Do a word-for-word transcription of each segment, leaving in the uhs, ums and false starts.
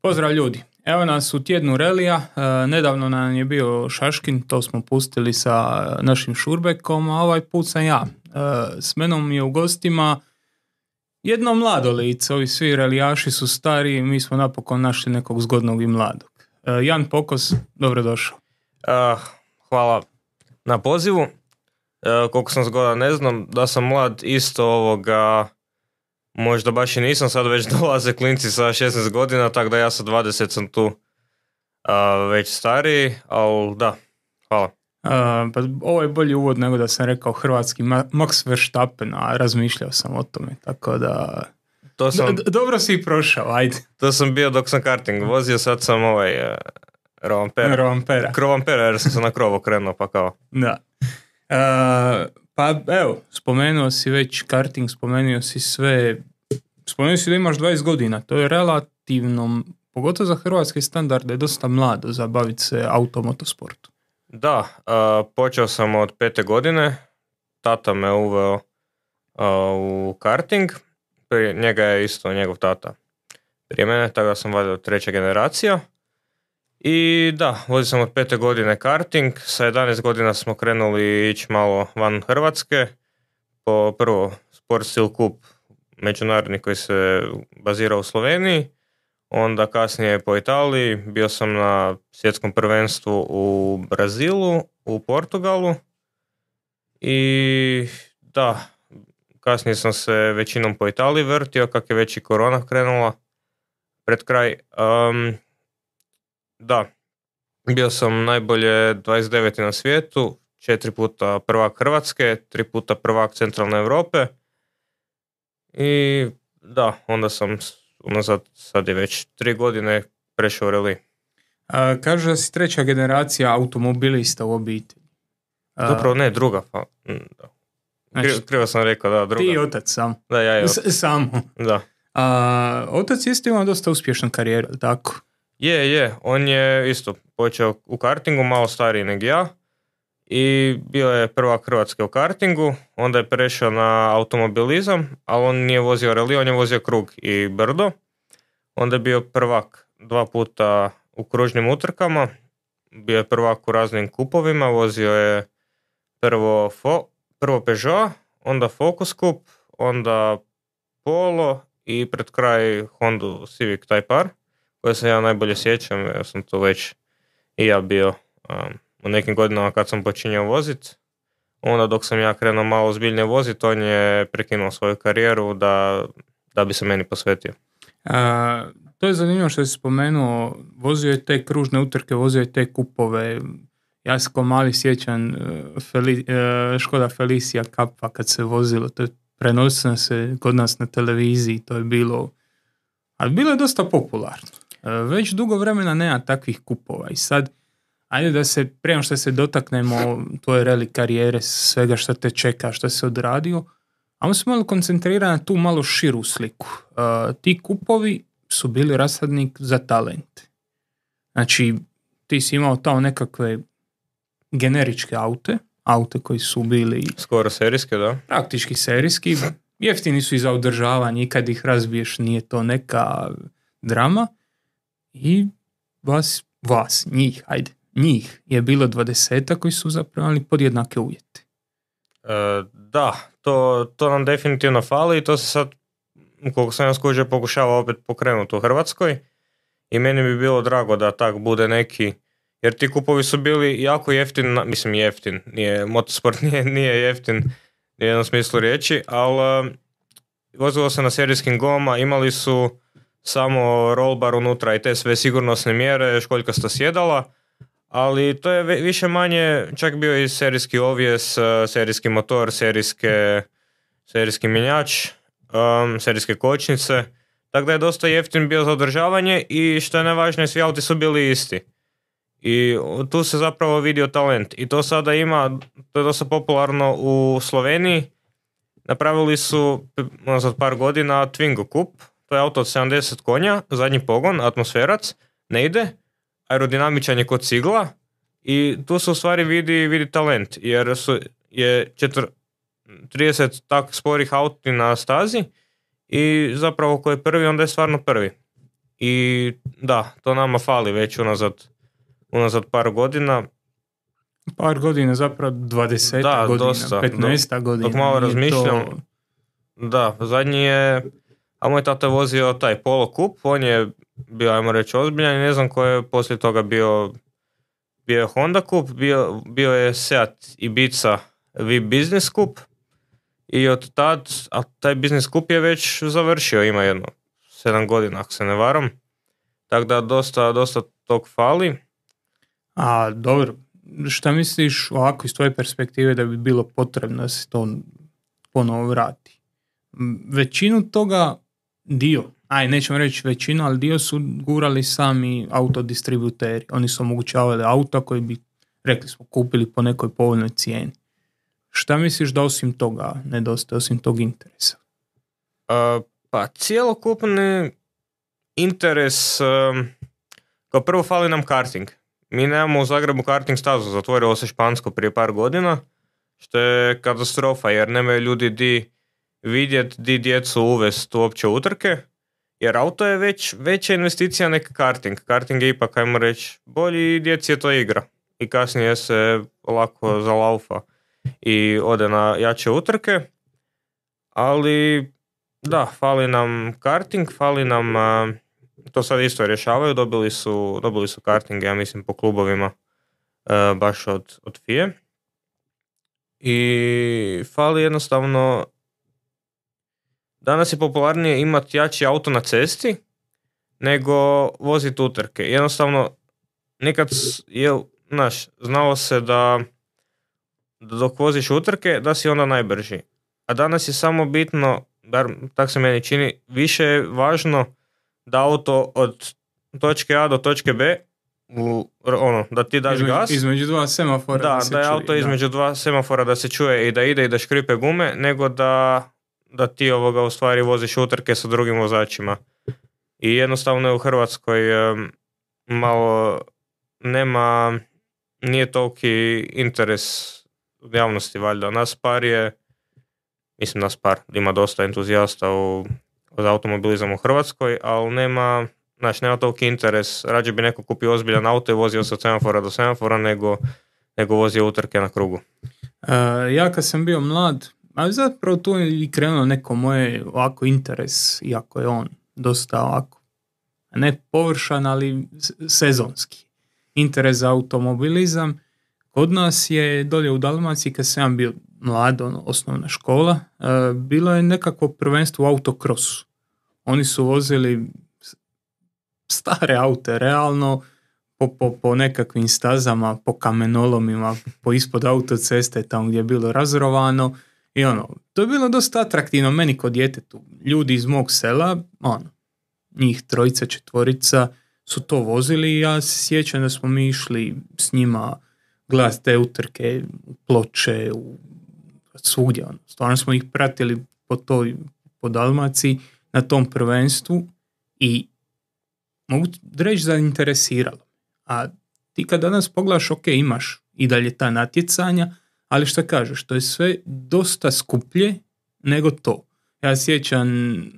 Pozdrav ljudi, evo nas u tjednu relija, e, nedavno nam je bio Šaškin, to smo pustili sa našim Šurbekom, a ovaj put sam ja. E, s menom je u gostima jedno mlado lice, ovi svi relijaši su stari, mi smo napokon našli nekog zgodnog i mladog. E, Jan Pokos, dobrodošao. Uh, hvala na pozivu. Uh, koliko sam zgodan ne znam, da sam mlad isto ovoga, možda baš i nisam, sad već dolaze klinci sa šesnaest godina, tako da ja sa dvadeset sam tu uh, već stariji, ali da, hvala. Uh, pa ovo je bolji uvod nego da sam rekao hrvatski Max Verstappen, a razmišljao sam o tome, tako da To sam, D- dobro si i prošao, ajde. to sam bio dok sam karting vozio, sad sam ovaj uh, rovampera. Rovampera. Krovampera jer sam se na krov okrenuo, pa kao. Da. Uh, pa evo, spomenuo si već karting, spomenuo si sve, spomenuo si da imaš dvadeset godina, to je relativno, pogotovo za hrvatske standarde, dosta mlado za baviti se automotosportu. Da, uh, počeo sam od pete godine, tata me uveo uh, u karting, prije njega je isto njegov tata prije mene, tako da sam valjda treća generacija. I da, vozio sam od pete godine karting, sa jedanaest godina smo krenuli ići malo van Hrvatske, po prvo Sport Stil Cup međunarodni koji se bazira u Sloveniji, onda kasnije po Italiji, bio sam na svjetskom prvenstvu u Brazilu, u Portugalu i da, kasnije sam se većinom po Italiji vrtio, kak je već i korona krenula pred kraj. Um, da, bio sam najbolje dvadeset deveti na svijetu, četiri puta prvak Hrvatske, tri puta prvak centralne Europe i da, onda sam unazad, sad je već tri godine prešao u reli. A, kaže da si treća generacija automobilista u obitelji. A, Zapravo ne, druga. Pa, da. Znači, Krivo, krivo sam rekao, da, druga. ti i otac sam. Da, ja i otac. S- samo. Da. A, otac isto imao dosta uspješnu karijeru, tako? Je, je, on je isto počeo u kartingu, malo stariji nego ja i bio je prvak Hrvatske u kartingu, onda je prešao na automobilizam, ali on nije vozio reli, on je vozio krug i brdo. Onda je bio prvak dva puta u kružnim utrkama, bio je prvak u raznim kupovima, vozio je prvo, fo, prvo Peugeot, onda Focus Cup, onda Polo i pred kraj Honda Civic Type R, koje se ja najbolje sjećam, ja sam to već i ja bio um, u nekim godinama kad sam počinjao voziti. Onda dok sam ja krenuo malo ozbiljnije voziti, on je prekinuo svoju karijeru da, da bi se meni posvetio. A, to je zanimljivo što si spomenuo, vozio je te kružne utrke, vozio je te kupove. Ja se ko mali sjećam Feli, Škoda Felicia Kappa kad se vozilo, to je prenosilo se kod nas na televiziji, to je bilo, ali bilo je dosta popularno. Već dugo vremena nema takvih kupova i sad, ajde da se, prema što se dotaknemo tvoje reli karijere, svega što te čeka, što se odradio, ajmo se malo koncentrirati na tu malo širu sliku. Uh, ti kupovi su bili rasadnik za talente. Znači, ti si imao tamo nekakve generičke aute, aute koji su bili Skoro serijske, da. praktički serijski, jeftini su i za održavanje i kad ih razbiješ nije to neka drama i vas, vas, njih, ajde, njih je bilo dvadeseta koji su zapravo imali podjednake uvjete. E, da, to, to nam definitivno fali i to se sad, koliko sam ja skužio, pokušava opet pokrenuti u Hrvatskoj i meni bi bilo drago da tak bude neki, jer ti kupovi su bili jako jeftin, mislim jeftin, nije, motosport nije, nije jeftin u jednom smislu riječi, ali vozilo se na serijskim gumama, imali su samo roll bar unutra i te sve sigurnosne mjere, školjkasta sjedala, ali to je više manje čak bio i serijski ovjes, serijski motor, serijske, serijski mjenjač, um, serijske kočnice, tako da je dosta jeftin bio za održavanje i što je najvažnije, svi auti su bili isti. I tu se zapravo vidio talent i to sada ima, to je dosta popularno u Sloveniji. Napravili su za par godina Twingo Cup, to je auto od sedamdeset konja, zadnji pogon, atmosferac, ne ide, aerodinamičan je kod cigla i tu se u stvari vidi, vidi talent, jer su, je četir, trideset tak sporih auti na stazi i zapravo ko je prvi, onda je stvarno prvi. I da, to nama fali već unazad, unazad par godina. Par godina, zapravo dvadeset Da, godina, dosta. petnaest Dok, godina. dok malo Nije razmišljam, to- da, zadnji je, a moj tata je vozio taj Polo Kup, on je bio, ajmo reći, ozbiljan i ne znam ko je poslije toga bio, bio je Honda Kup, bio, bio je Seat Ibiza V Business Kup i od tad, a taj Business Kup je već završio, ima jedno sedam godina, ako se ne varam, tako da dosta, dosta tog fali. A dobro, šta misliš ovako iz tvoje perspektive da bi bilo potrebno da se to ponovo vrati? M, Većinu toga, dio, aj nećemo reći većinu, ali dio su gurali sami autodistributeri. Oni su omogućavali auta koji bi, rekli smo, kupili po nekoj povoljnoj cijeni. Šta misliš da osim toga nedostaje, osim tog interesa? Uh, pa cijelokupni interes, um, kao prvo fali nam karting. Mi nemamo u Zagrebu karting stazu, zatvorilo se Špansko prije par godina, što je katastrofa jer nemaju ljudi di vidjet, di djecu uvest uopće utrke, jer auto je već veća investicija nek karting. Karting je ipak, ajmo reći, bolji i djeci je to igra. I kasnije se lako zalaufa i ode na jače utrke, ali da, fali nam karting, fali nam, a, to sad isto rješavaju, dobili su, dobili su karting, ja mislim, po klubovima a, baš od, od F I E. I fali jednostavno, danas je popularnije imati jači auto na cesti nego voziti utrke. Jednostavno, nekad je, znaš, znalo se da dok voziš utrke, da si onda najbrži. A danas je samo bitno, bar tak se meni čini, više je važno da auto od točke A do točke B, u, ono, da ti daš Između, gas. između dva semafora Da, da, da, se je čuje, auto da. između dva semafora da se čuje i da ide i da škripe gume, nego da, da ti ovoga u stvari voziš utrke sa drugim vozačima. I jednostavno je u Hrvatskoj um, malo nema, nije toliki interes javnosti valjda. Nas par je, mislim nas par, ima dosta entuzijasta u, za automobilizam u Hrvatskoj, ali nema, znači nema toliki interes. Rađe bi neko kupio ozbiljan auto i vozio se od semafora do semafora nego, nego vozio utrke na krugu. Uh, ja kad sam bio mlad, ali zapravo tu je i krenuo neko moje ovako interes, iako je on dosta ovako, ne površan, ali s- sezonski. Interes za automobilizam. Kod nas je dolje u Dalmaciji, kad sam ja bio mlad, ono, osnovna škola, uh, bilo je nekakvo prvenstvo u autokrosu. Oni su vozili s- stare aute, realno, po, po, po nekakvim stazama, po kamenolomima, po ispod autoceste, tamo gdje je bilo razrovano. I ono, to je bilo dosta atraktivno meni kod djetetu. Ljudi iz mog sela, ono, njih trojica, četvorica, su to vozili i ja se sjećam da smo mi išli s njima gledati te utrke u Ploče, u svugdje. Ono. Stvarno smo ih pratili po toj, po Dalmaciji na tom prvenstvu i mogu reći zainteresiralo. A ti kad danas pogledaš, ok, imaš i dalje ta natjecanja, ali što kažeš, to je sve dosta skuplje nego to. Ja sjećam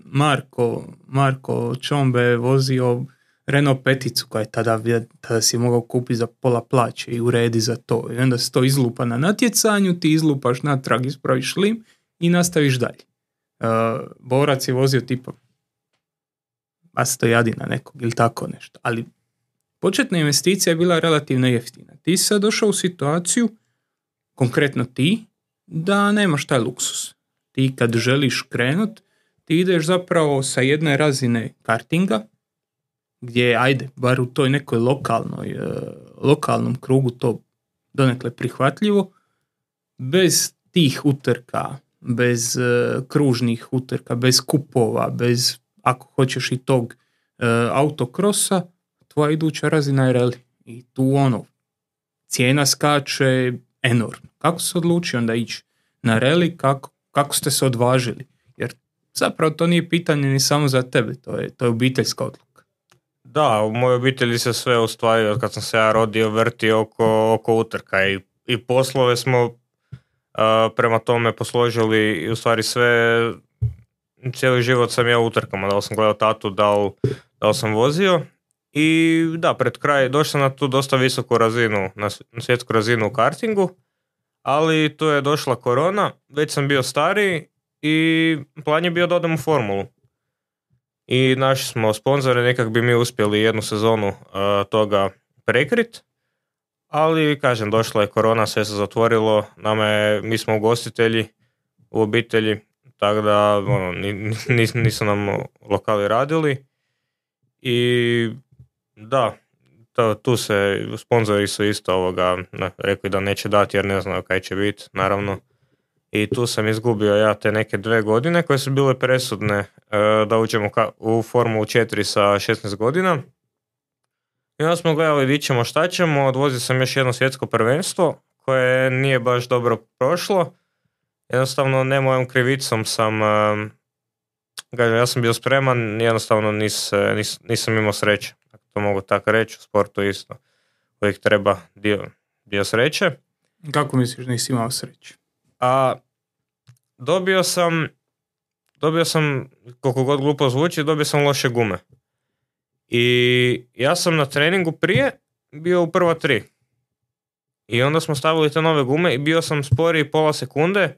Marko, Marko Čombe je vozio Renault peticu koja je tada, tada si mogao kupiti za pola plaće i uredi za to. I onda se to izlupa na natjecanju, ti izlupaš natrag, ispraviš lim i nastaviš dalje. Uh, Borac je vozio tipa Astojadina nekog ili tako nešto. Ali početna investicija je bila relativno jeftina. Ti si sad došao u situaciju, konkretno ti, da nemaš taj luksus. Ti kad želiš krenut, ti ideš zapravo sa jedne razine kartinga, gdje, ajde, bar u toj nekoj lokalnoj, uh, lokalnom krugu to donekle prihvatljivo, bez tih utrka, bez uh, kružnih utrka, bez kupova, bez, ako hoćeš i tog uh, autokrosa, tvoja iduća razina je rally. I tu ono, cijena skače enormno. Kako se odlučio onda ići na rally, kako, kako ste se odvažili? Jer zapravo to nije pitanje ni samo za tebe, to je, to je obiteljska odluka. Da, u mojoj obitelji se sve u stvari, od kad sam se ja rodio, vrti oko, oko utrka i, i poslove smo uh, prema tome posložili i u stvari sve, cijeli život sam ja u utrkama, da li sam gledao tatu, da li da li sam vozio. I da, pred kraj došao sam na tu dosta visoku razinu, na svjetsku razinu u kartingu, ali tu je došla korona, već sam bio stariji i plan je bio da odem u formulu. I našli smo sponzore, nekak bi mi uspjeli jednu sezonu uh, toga prekrit, ali kažem, došla je korona, sve se zatvorilo, nama je, mi smo ugostitelji u obitelji, tako da ono, nis, nisu nam lokali radili i da, to, tu se sponzori su isto ovoga, ne, rekli da neće dati jer ne znaju kaj će biti, naravno. I tu sam izgubio ja te neke dve godine koje su bile presudne e, da uđemo ka, u Formulu četiri sa šesnaest godina. I onda smo gledali di ćemo, šta ćemo, odvozio sam još jedno svjetsko prvenstvo koje nije baš dobro prošlo. Jednostavno ne mojom krivicom sam, e, kažem, ja sam bio spreman, jednostavno nis, nis, nisam imao sreće. To mogu tako reći, u sportu isto. Uvijek treba dio, dio sreće. Kako misliš da nisi imao sreće? A dobio sam, dobio sam, koliko god glupo zvuči, dobio sam loše gume. I ja sam na treningu prije bio u prva tri. I onda smo stavili te nove gume i bio sam sporiji pola sekunde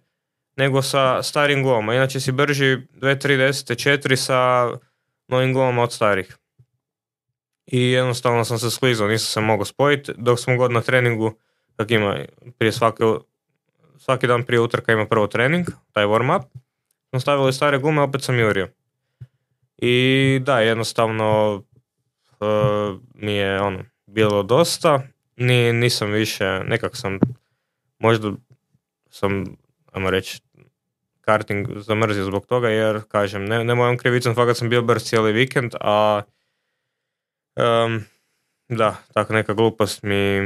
nego sa starim gumama. Inače si brži dvije tri deset četiri sa novim gumama od starih. I jednostavno sam se sklizao, nisam se mogao spojiti, dok smo god na treningu, kak ima prije svake, svaki dan prije utrka ima prvo trening, taj warm up, smo stavili stare gume, opet sam jurio. I da, jednostavno uh, mi je ono, bilo dosta, Ni, nisam više, nekak sam, možda sam, ajmo reći, karting zamrzio zbog toga, jer, kažem, ne, ne mojom krivicom, fakat sam bio brz cijeli vikend, a Um, da, tako neka glupost mi,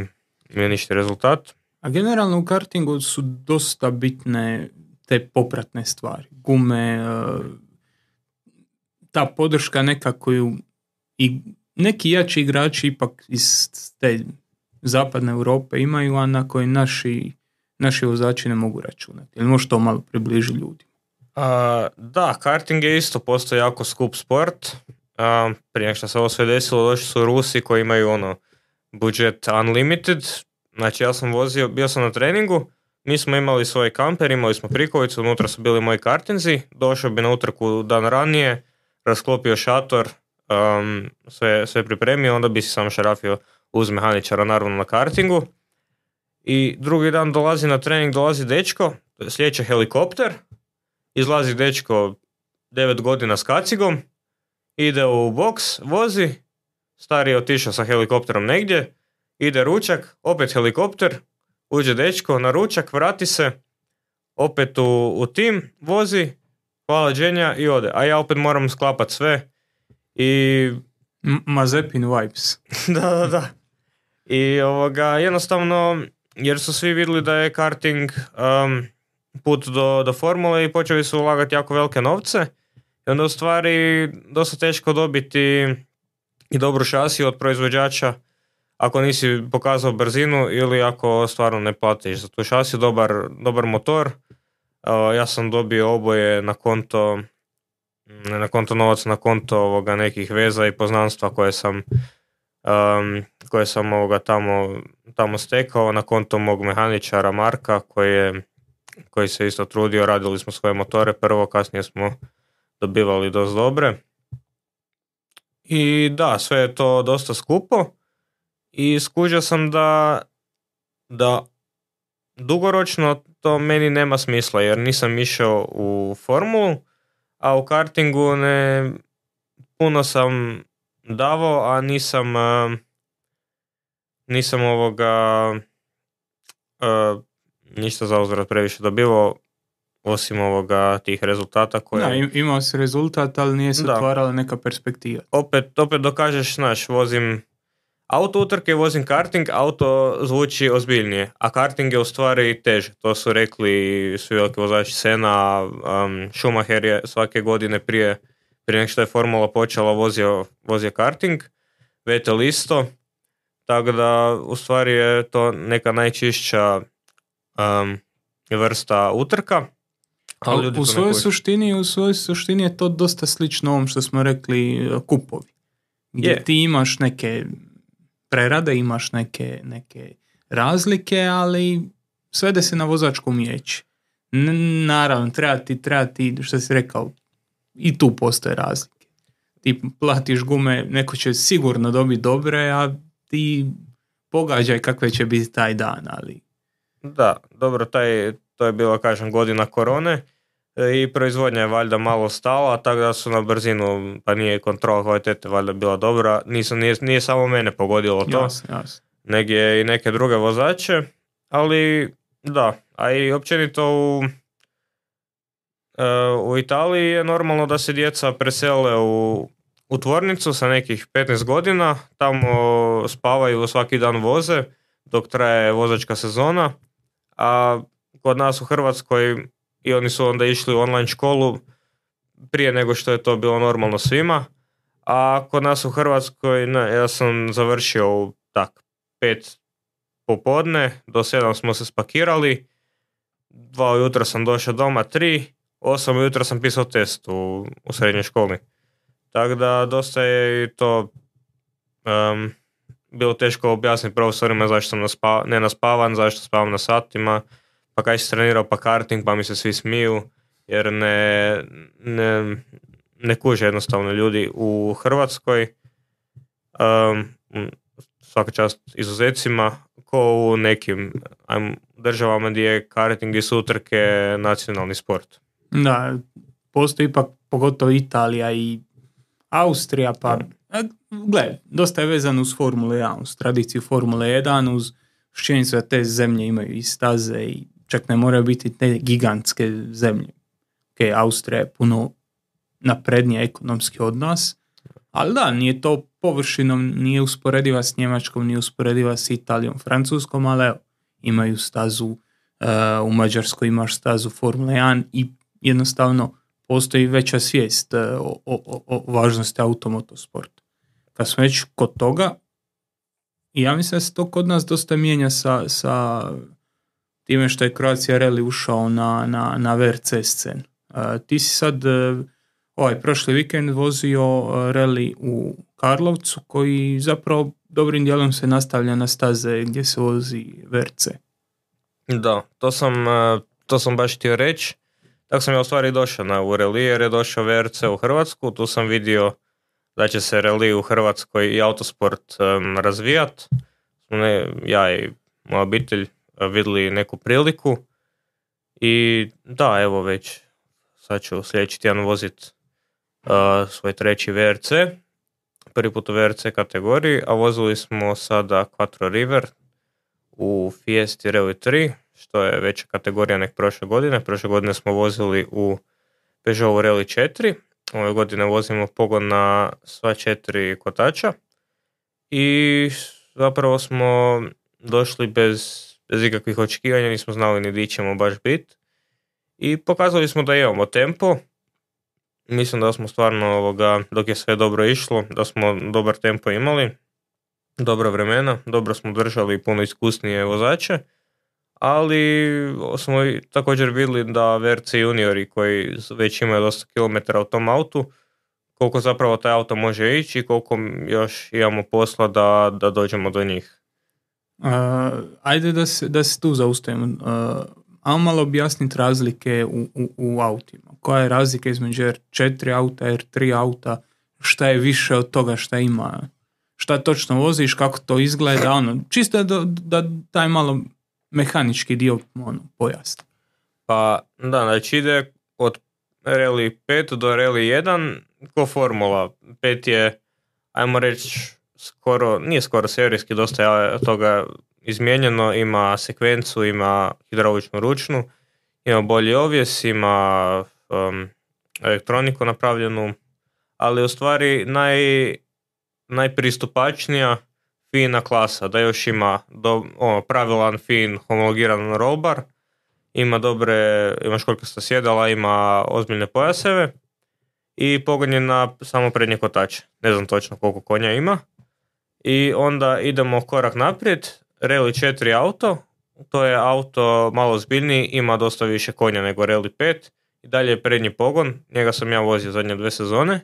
mi je ništa rezultat. A generalno u kartingu su dosta bitne te popratne stvari. Gume, ta podrška neka koju i neki jači igrači ipak iz te zapadne Europe imaju, a na koji naši, naši vozači ne mogu računati. Ili možeš to malo približiti ljudima? Uh, da, karting je isto postoji jako skup sport. Uh, prije što se ovo sve desilo, došli su Rusi koji imaju ono budget unlimited. Znači ja sam vozio, bio sam na treningu, mi smo imali svoj kamper, imali smo prikolicu, unutra su bili moji kartinzi, došao bi na utrku dan ranije, rasklopio šator, um, sve, sve pripremio, onda bi si sam šarafio uz mehaničara naravno na kartingu. I drugi dan dolazi na trening, dolazi dečko, sljedeći helikopter, izlazi dečko devet godina s kacigom, ide u boks, vozi, stari je otišao sa helikopterom negdje, ide ručak, opet helikopter, uđe dečko na ručak, vrati se, opet u, u tim, vozi, hvala dženja i ode. A ja opet moram sklapat sve i... M- Mazepin vibes. da, da, da. I ovoga, jednostavno, jer su svi vidjeli da je karting um, put do, do formule i počeli su ulagati jako velike novce. I onda u stvari dosta teško dobiti i dobru šasiju od proizvođača ako nisi pokazao brzinu ili ako stvarno ne platiš za tu šasiju, dobar, dobar motor. Uh, ja sam dobio oboje na konto, ne na konto novaca, na konto ovoga nekih veza i poznanstva koje sam, um, koje sam ovoga tamo, tamo stekao, na konto mog mehaničara Marka koji, je, koji se isto trudio, radili smo svoje motore prvo, kasnije smo dobivali dosta dobre. I da, sve je to dosta skupo i skužio sam da, da dugoročno to meni nema smisla jer nisam išao u formulu, a u kartingu ne puno sam davao, a nisam nisam ovoga uh, ništa za uzvrat previše dobivao osim ovoga tih rezultata koje... Da, imao si rezultat, ali nije se da. otvarala neka perspektiva. Opet, opet dokažeš, znaš, vozim auto utrke, vozim karting, auto zvuči ozbiljnije, a karting je u stvari teže. To su rekli svi veliki vozači Senna, um, Schumacher je svake godine prije, prije nek što je formula počela vozio, vozio karting, Vettel isto, tako da u stvari je to neka najčišća um, vrsta utrka. Ali u svojoj suštini, u svojoj suštini je to dosta slično ovom što smo rekli kupovi. gdje Je. ti imaš neke prerade, imaš neke, neke razlike, ali svede se na vozačku umijeće. N- naravno, treba ti, treba ti, što si rekao, i tu postoje razlike. Ti platiš gume, neko će sigurno dobiti dobre, a ti pogađaj kakve će biti taj dan, ali... Da, dobro, taj, to je bila, kažem, godina korone e, i proizvodnja je valjda malo stala, tako da su na brzinu, pa nije kontrola kvalitete valjda bila dobra, Nisu, nije, nije samo mene pogodilo to, Jasno, jasno. negdje i neke druge vozače, ali da, a i općenito u, e, u Italiji je normalno da se djeca presele u, u tvornicu sa nekih petnaest godina, tamo spavaju, svaki dan voze dok traje vozačka sezona, a kod nas u Hrvatskoj i oni su onda išli u online školu prije nego što je to bilo normalno svima, a kod nas u Hrvatskoj ne, ja sam završio u tak pet popodne, do sedam smo se spakirali, dva ujutro sam došao doma, tri, osam ujutro sam pisao test u, u srednjoj školi. Tako da dosta je i to um, bilo teško objasniti profesorima zašto sam naspa, ne naspavan, zašto spavam na satima, pa kaj si trenirao pa karting, pa mi se svi smiju, jer ne, ne, ne kuže jednostavno ljudi u Hrvatskoj, um, svaka čast izuzecima, ko u nekim ajmo, državama gdje je karting i su utrke nacionalni sport. Da, postoji ipak pogotovo Italija i Austrija, pa gle, dosta je vezano uz Formule jedan, uz tradiciju Formule jedan, uz činjenicu da te zemlje imaju i staze i čak ne moraju biti te gigantske zemlje. Ok, Austrija je puno naprednija ekonomski od nas, ali da, nije to površinom, nije usporediva s Njemačkom, nije usporediva s Italijom, Francuskom, ali evo, imaju stazu, uh, u Mađarskoj imaš stazu Formule jedan i jednostavno postoji veća svijest uh, o, o, o važnosti automotosporta. Kad smo već kod toga, i ja mislim da se to kod nas dosta mijenja sa, sa time što je Croatia Rally ušao na, na, na V R C scenu. Uh, ti si sad uh, ovaj prošli vikend vozio uh, rally u Karlovcu koji zapravo dobrim dijelom se nastavlja na staze gdje se vozi V R C. Da, to sam, uh, to sam baš htio reći. Tako sam ja u stvari došao na u rally jer je došao V R C u Hrvatsku. Tu sam vidio da će se rally u Hrvatskoj i autosport um, razvijat. Ne, ja i moja obitelj uh, vidjeli neku priliku i da, evo već sad ću sljedeći tjedan vozit uh, svoj treći V R C, prvi put u V R C kategoriji, a vozili smo sada Quattro River u Fiesti Rally tri, što je veća kategorija nek prošle godine. Prošle godine smo vozili u Peugeot Rally četiri, ove godine vozimo pogon na sva četiri kotača i zapravo smo došli bez, bez ikakvih očekivanja, nismo znali ni di ćemo baš biti i pokazali smo da imamo tempo. Mislim da smo stvarno, ovoga, dok je sve dobro išlo, da smo dobar tempo imali, dobra vremena, dobro smo držali puno iskusnije vozače, ali smo također vidjeli da V R C juniori koji već imaju dosta kilometara u tom autu, koliko zapravo taj auto može ići i koliko još imamo posla da, da dođemo do njih. Uh, ajde da se, da se tu zaustavimo. Uh, ajmo malo objasniti razlike u, u, u autima. Koja je razlika između R četiri auta, R tri auta, šta je više od toga šta ima, šta točno voziš, kako to izgleda, ono, čisto da, da taj malo mehanički dio ono, pojasni. Pa da, znači ide od Rally pet do Rally jedan ko formula. pet je, ajmo reći, skoro, nije skoro serijski, dosta je toga izmijenjeno, ima sekvencu, ima hidrauličnu ručnu, ima bolji ovjes, ima um, elektroniku napravljenu, ali u stvari naj, najpristupačnija fina klasa, da još ima do, ono, pravilan, fin, homologiran rollbar, ima dobre, ima školjkasta sjedala, ima ozbiljne pojaseve i pogon je na samo prednje kotače. Ne znam točno koliko konja ima. I onda idemo korak naprijed, Rally četiri auto, to je auto malo zbiljniji, ima dosta više konja nego Rally pet i dalje je prednji pogon, njega sam ja vozio zadnje dve sezone.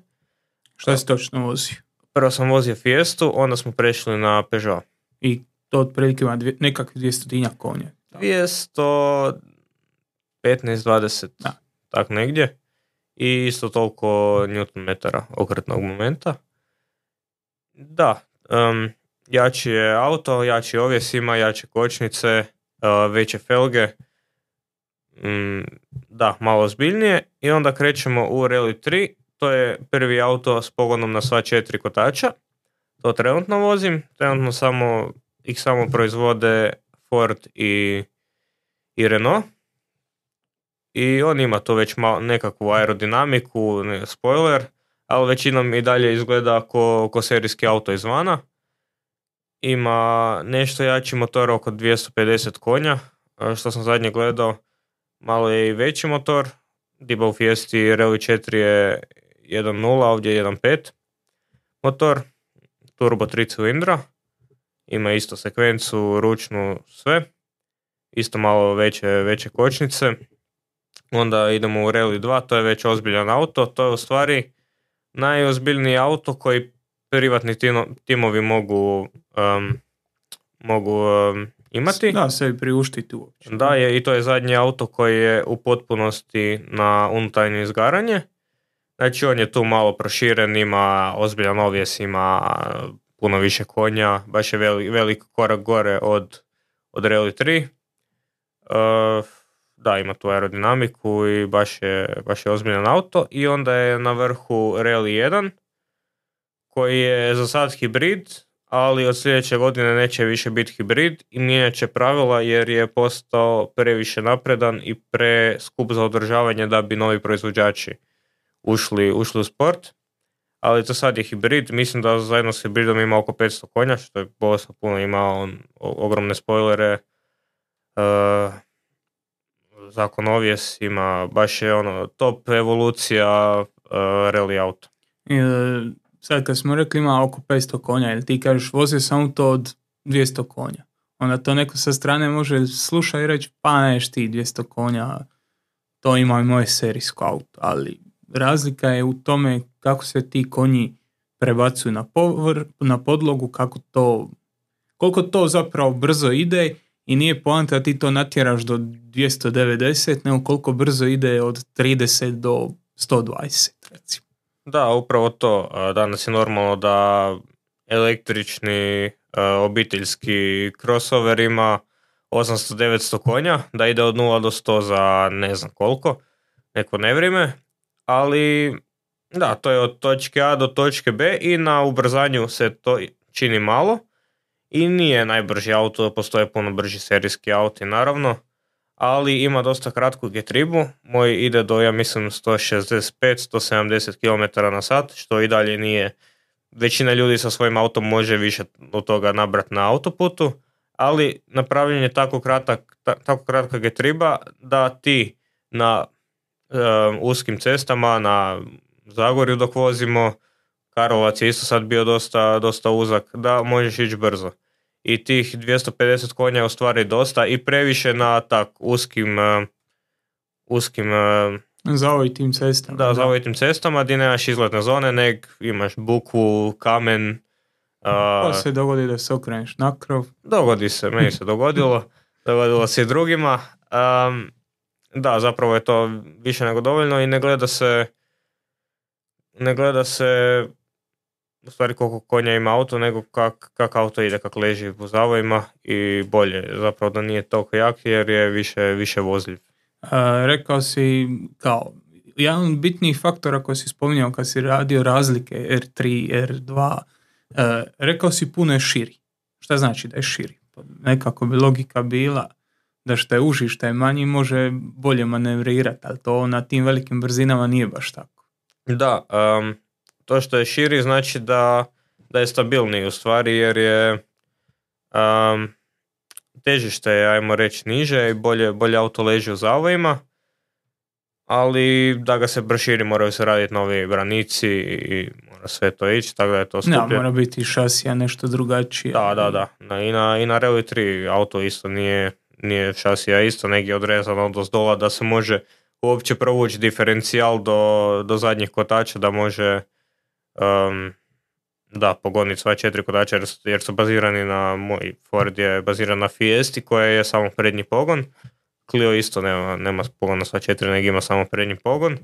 Šta si točno vozio? prvo sam vozio Fiestu, onda smo prešli na Peugeot. I to otprilike ima dvije, nekakve dvjestotinjak konja. dvjesto petnaest dvadeset, Da. tak negdje. I isto toliko Newton metara okretnog momenta. Da, um, jači je auto, jači ovjes ima, jače kočnice, uh, veće felge. Um, da, malo ozbiljnije. I onda krećemo u Rally tri. To je prvi auto s pogonom na sva četiri kotača. To trenutno vozim. Trenutno samo, ih samo proizvode Ford i, i Renault. I on ima to već malo nekakvu aerodinamiku, ne, spoiler, ali većinom i dalje izgleda ko, ko serijski auto izvana. Ima nešto jači motor, oko dvjesto pedeset konja, što sam zadnje gledao. Malo je i veći motor. Diba u Fiesti Rally četiri je jedan nula, ovdje je jedan pet motor. Turbo tri cilindra. Ima isto sekvencu, ručnu, sve. Isto malo veće, veće kočnice. Onda idemo u Rally dva, to je već ozbiljan auto. To je u stvari najozbiljniji auto koji privatni tino, timovi mogu, um, mogu um, imati. Da, sebi priuštiti uopće. Da, je, i to je zadnji auto koji je u potpunosti na unutarnje izgaranje. Znači on je tu malo proširen, ima ozbiljan ovjes, ima puno više konja, baš je velik, velik korak gore od, od Rally tri. Uh, Da, ima tu aerodinamiku i baš je, baš je ozbiljan auto. I onda je na vrhu Rally jedan, koji je za sad hibrid, ali od sljedeće godine neće više biti hibrid i mijenjat će pravila jer je postao previše napredan i preskup za održavanje da bi novi proizvođači ušli, ušli u sport. Ali to sad je hibrid, mislim da zajedno s hibridom ima oko petsto konja, što je bolesno puno, ima on ogromne spoilere, uh, zakon ovjes, ima baš je ono top evolucija uh, rally auto. I, sad kad smo rekli ima oko petsto konja, jer ti kažeš vozio sam auto od dvjesto konja. Onda to neko sa strane može slušati i reći pa neš ti dvjesto konja, to ima i moje serijsko auto. Ali razlika je u tome kako se ti konji prebacuju na, povr, na podlogu, kako to, koliko to zapravo brzo ide. I nije poanta da ti to natjeraš do dvjesto devedeset, nego koliko brzo ide od trideset do sto dvadeset, recimo. Da, upravo to. Danas je normalno da električni obiteljski crossover ima osamsto devetsto konja, da ide od nula do sto za ne znam koliko, neko nevrijeme, ali da, to je od točke A do točke B i na ubrzanju se to čini malo. I nije najbrži auto, postoje puno brži serijski auti naravno, ali ima dosta kratku getribu. Moj ide do, ja mislim, sto šezdeset pet do sto sedamdeset kilometara na sat, što i dalje nije. Većina ljudi sa svojim autom može više od toga nabrati na autoputu, ali napravljen je tako, kratak, ta, tako kratka getriba da ti na um, uskim cestama, na Zagorju dok vozimo, Karlovac je isto sad bio dosta, dosta uzak, da možeš ići brzo. I tih dvjesto pedeset konja je u stvari dosta i previše na tak uskim, uh, uskim uh, zaovitim cestama. Da, zaovitim cestama gdje nemaš izletne zone, nek imaš bukvu, kamen. Uh, pa se dogodi da se okreneš na krov. Dogodi se, meni se dogodilo. Dogodilo se i drugima. Um, da, zapravo je to više nego dovoljno i ne gleda se ne gleda se u stvari koliko konja ima auto, nego kak, kak auto ide, kak leži u zavojima i bolje. Zapravo da nije toliko jak jer je više, više vozljiv. Uh, rekao si kao jedan bitniji faktor ako si spominjao kad si radio razlike R tri, R dva, uh, rekao si puno je širi. Šta znači da je širi? Nekako bi logika bila da što je uži, što je manji može bolje manevrirati, ali to na tim velikim brzinama nije baš tako. Da, um, to što je širi znači da, da je stabilniji u stvari jer je um, težište je, ajmo reći, niže i bolje, bolje auto leži u zavojima, ali da ga se proširi moraju se raditi novi branici i mora sve to ići, tako da je to skuplje. Da, mora biti šasija nešto drugačije. Da, da, da. I na, i na Rally tri auto isto nije, nije šasija isto, negdje odrezano od ozdola da se može uopće provući diferencijal do, do zadnjih kotača, da može um, da, pogoniti sva četiri kotača jer, jer su bazirani na, moj Ford je baziran na Fiesti koja je samo prednji pogon. Clio isto nema, nema pogon na sva četiri, nego ima samo prednji pogon.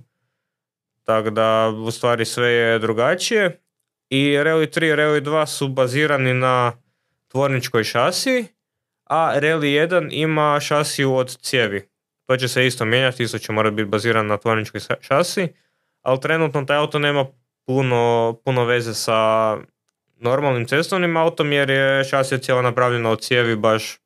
Tako da, u stvari sve je drugačije. I Rally tri i Rally dva su bazirani na tvorničkoj šasiji, a Rally jedan ima šasiju od cijevi. To će se isto mijenjati, isto će morati biti baziran na tvorničkoj šasiji, ali trenutno taj auto nema puno, puno veze sa normalnim cestovnim autom jer je šasija cijela napravljena od cijevi baš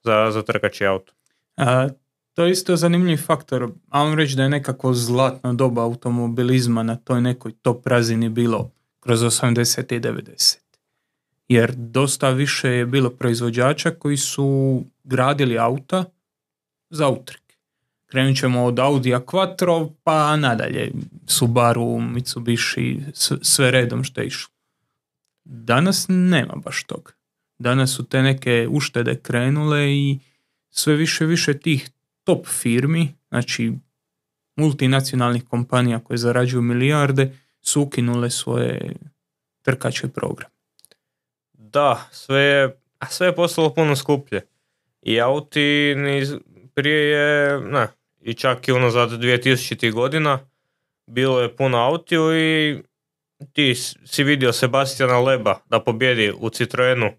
za, za trkači auto. A, to je isto zanimljiv faktor. A vam reći da je nekako zlatna doba automobilizma na toj nekoj top razini bilo kroz osamdesete i devedesete. Jer dosta više je bilo proizvođača koji su gradili auta za utrke. Krenut ćemo od Audija Quattro pa nadalje. Subaru, Mitsubishi, sve redom što je išlo. Danas nema baš toga. Danas su te neke uštede krenule i sve više više tih top firmi, znači multinacionalnih kompanija koje zarađuju milijarde, su ukinule svoje trkačke programe. Da, sve je, sve je postalo puno skuplje. I auti niz, prije je, ne, i čak i unazad dvije tisućitih godina bilo je puno autiju i ti si vidio Sebastiana Leba da pobjedi u Citroenu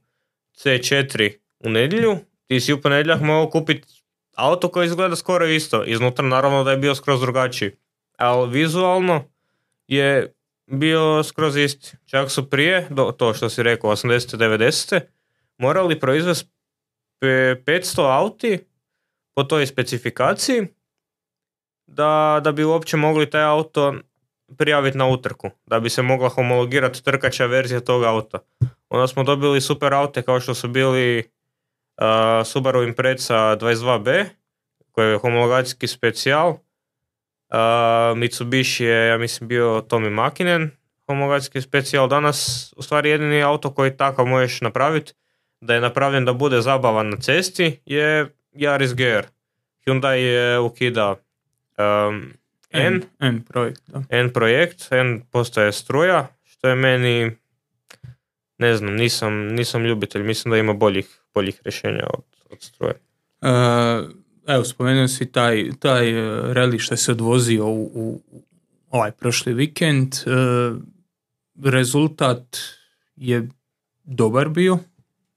C četiri u nedjelju, ti si u ponedjeljak mogao kupiti auto koji izgleda skoro isto. Iznutra naravno da je bio skroz drugačiji, ali vizualno je bio skroz isti. Čak su prije, do, to što si rekao, osamdesete devedesete morali proizvesti petsto auti po toj specifikaciji da, da bi uopće mogli taj auto prijaviti na utrku, da bi se mogla homologirati trkača verzija tog auta. Onda smo dobili super aute kao što su bili uh, Subaru Impreza dvadeset dva B, koji je homologacijski specijal. Uh, Mitsubishi je, ja mislim, bio Tommy Makinen, homologacijski specijal. Danas, u stvari, jedini auto koji takav možeš napraviti, da je napravljen da bude zabavan na cesti, je Yaris G R. Hyundai je ukida um, N, N, N projekt, da. N projekt, N postaje struja, što je meni, ne znam, nisam, nisam ljubitelj, mislim da ima boljih, boljih rješenja od, od struje. Uh, evo, spomenuo si taj, taj rally što se odvozio u, u ovaj prošli vikend. Uh, rezultat je dobar bio.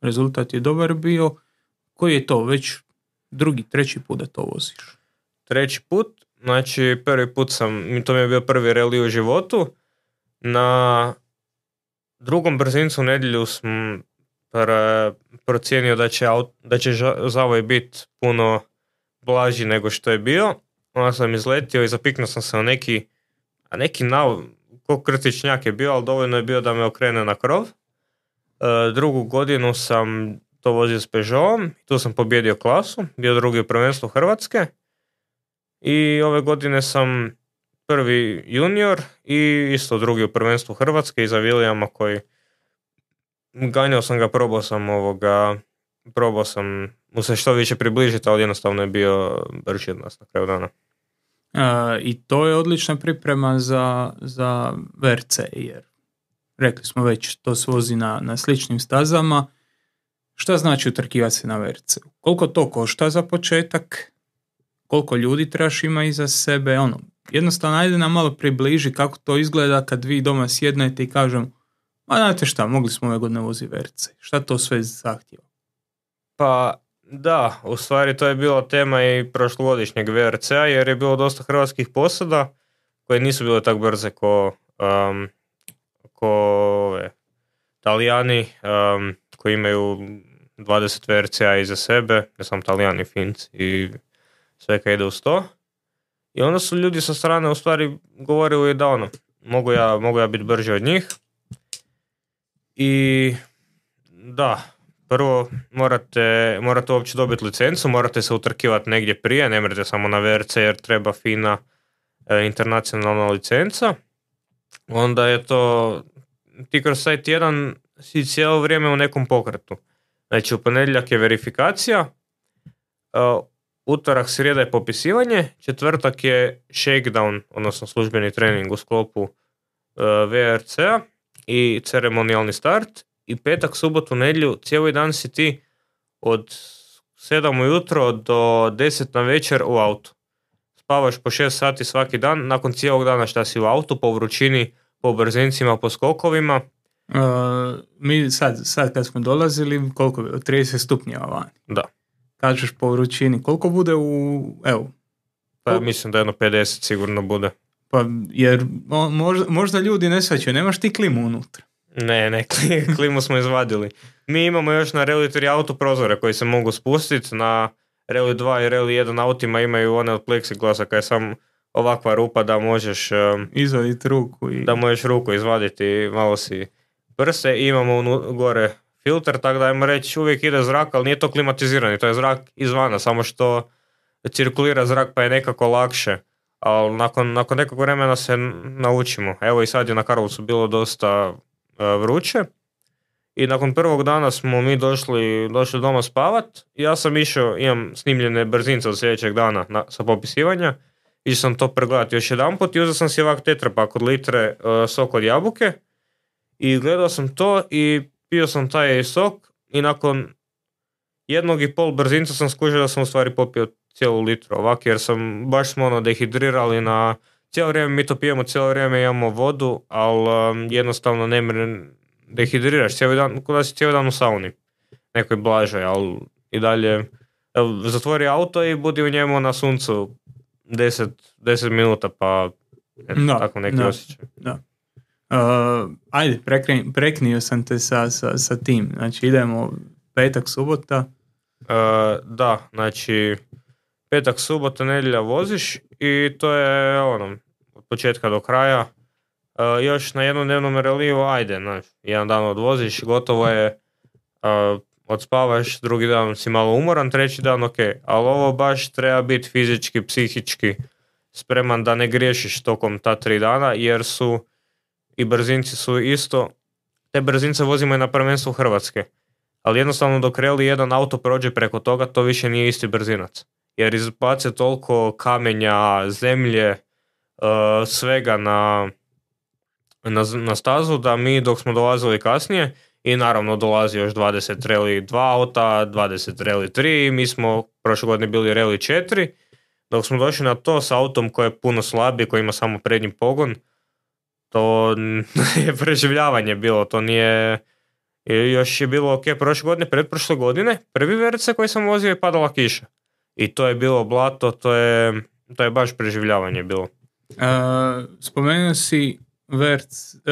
Rezultat je dobar bio. Koji je to? Već drugi, treći put da to voziš? Treći put. Znači, prvi put sam, to mi je bio prvi rally u životu. Na drugom brzincu u nedjelju sam pr- procijenio da će, aut, da će zavoj biti puno blaži nego što je bio. Onda sam izletio i zapiknuo sam se na neki, a neki nav, ko krtičnjak je bio, ali dovoljno je bio da me okrene na krov. E, drugu godinu sam to vozio s Peugeotom, tu sam pobjedio klasu, bio drugi u prvenstvu Hrvatske. I ove godine sam prvi junior i isto drugi u prvenstvu Hrvatske iza Williama koji ganjao sam ga, probao sam ovoga, probao sam mu se što više približiti, ali jednostavno je bio brži od nas na kraju dana. A, I to je odlična priprema za, za V R C, jer rekli smo već, to se vozi na, na sličnim stazama. Šta znači utrkivati se na V R C? Koliko to košta za početak? Koliko ljudi trebaš ima iza sebe? Ono, jednostavno, ajde nam malo približi kako to izgleda kad vi doma sjednete i kažem, a znate šta, mogli smo ove godine voziti V R C. Šta to sve zahtjeva? Pa da, u stvari to je bila tema i prošlogodišnjeg V R C-a jer je bilo dosta hrvatskih posada koje nisu bile tako brze ko, um, ko ove, Talijani um, koji imaju dvadeset V R C-a iza sebe, ne samo Talijani, Finci i sve kad ide uz to. I onda su ljudi sa strane u stvari govorili da ono, mogu ja, mogu ja biti brži od njih. I da, prvo morate, morate uopće dobiti licencu, morate se utrkivati negdje prije, ne mrete samo na V R C jer treba fina e, internacionalna licenca. Onda je to, ti kroz taj tjedan si cijelo vrijeme u nekom pokretu. Znači u ponedjeljak je verifikacija, uh, utorak, srijeda je popisivanje, četvrtak je shakedown, odnosno službeni trening u sklopu uh, V R C-a i ceremonijalni start i petak, subotu, nedjelju, cijeli dan si ti od sedam ujutro do deset na večer u autu. Spavaš po šest sati svaki dan, nakon cijelog dana šta si u autu, po vrućini, po brzincima, po skokovima. Uh, mi sad, sad kad smo dolazili, koliko je, trideset stupnjeva van. Da. Kažeš po vrućini, koliko bude u, evo? Pa mislim da jedno pedeset sigurno bude. Pa jer možda, možda ljudi ne shvaćaju, nemaš ti klimu unutra. Ne, ne, klimu smo izvadili. Mi imamo još na Rally tri auto prozore koji se mogu spustiti, na Rally dva i Rally jedan autima imaju one od pleksiglasa kaj je sam ovakva rupa da možeš um, izvaditi ruku i... da možeš ruku izvaditi i malo si prse i imamo unu, gore filter, tako da ajmo reći uvijek ide zrak, ali nije to klimatizirani, to je zrak izvana, samo što cirkulira zrak pa je nekako lakše, ali nakon, nakon nekog vremena se naučimo. Evo i sad je na Karlovcu bilo dosta uh, vruće i nakon prvog dana smo mi došli, došli doma spavat. Ja sam išao, imam snimljene brzince od sljedećeg dana na, sa popisivanja, išao sam to pregledati još jedan put i uzeo sam si ovak tetrapak od litre uh, sok od jabuke i gledao sam to i pio sam taj sok i nakon jednog i pol brzinca sam skužio da sam u stvari popio cijelu litru ovak, jer sam baš smo ono dehidrirali na cijelo vrijeme, mi to pijemo, cijelo vrijeme imamo vodu, ali um, jednostavno ne mre, dehidriraš cijeli dan, kada si cijeli dan u sauni, nekoj blažoj, ali i dalje evo, zatvori auto i budi u njemu na suncu deset minuta, pa eto, da, tako neki da, osjećaj. Da. Uh, ajde, prekni, preknio sam te sa, sa, sa tim, znači idemo petak, subota. Uh, da, znači petak, subota, nedjelja voziš i to je ono, od početka do kraja. Uh, još na jednom dnevnom reliju, ajde, znači, jedan dan odvoziš, gotovo je, uh, odspavaš, drugi dan si malo umoran, treći dan ok, ali ovo baš treba biti fizički, psihički spreman da ne griješiš tokom ta tri dana, jer su i brzinci su isto, te brzince vozimo i na prvenstvu Hrvatske, ali jednostavno dok Rally jedan auto prođe preko toga, to više nije isti brzinac, jer izbace toliko kamenja, zemlje, uh, svega na, na, na stazu, da mi dok smo dolazili kasnije, i naravno dolazi još dvadeset Rally dva auta, dvadeset Rally tri, mi smo prošle godine bili Rally četiri, dok smo došli na to s autom koji je puno slabiji, koji ima samo prednji pogon, to je preživljavanje bilo, to nije, još je bilo ok prošle godine, pretprošle godine, prvi V R C koji sam vozio je padala kiša i to je bilo blato, to je, to je baš preživljavanje bilo. Uh, spomenuo si V R C, uh,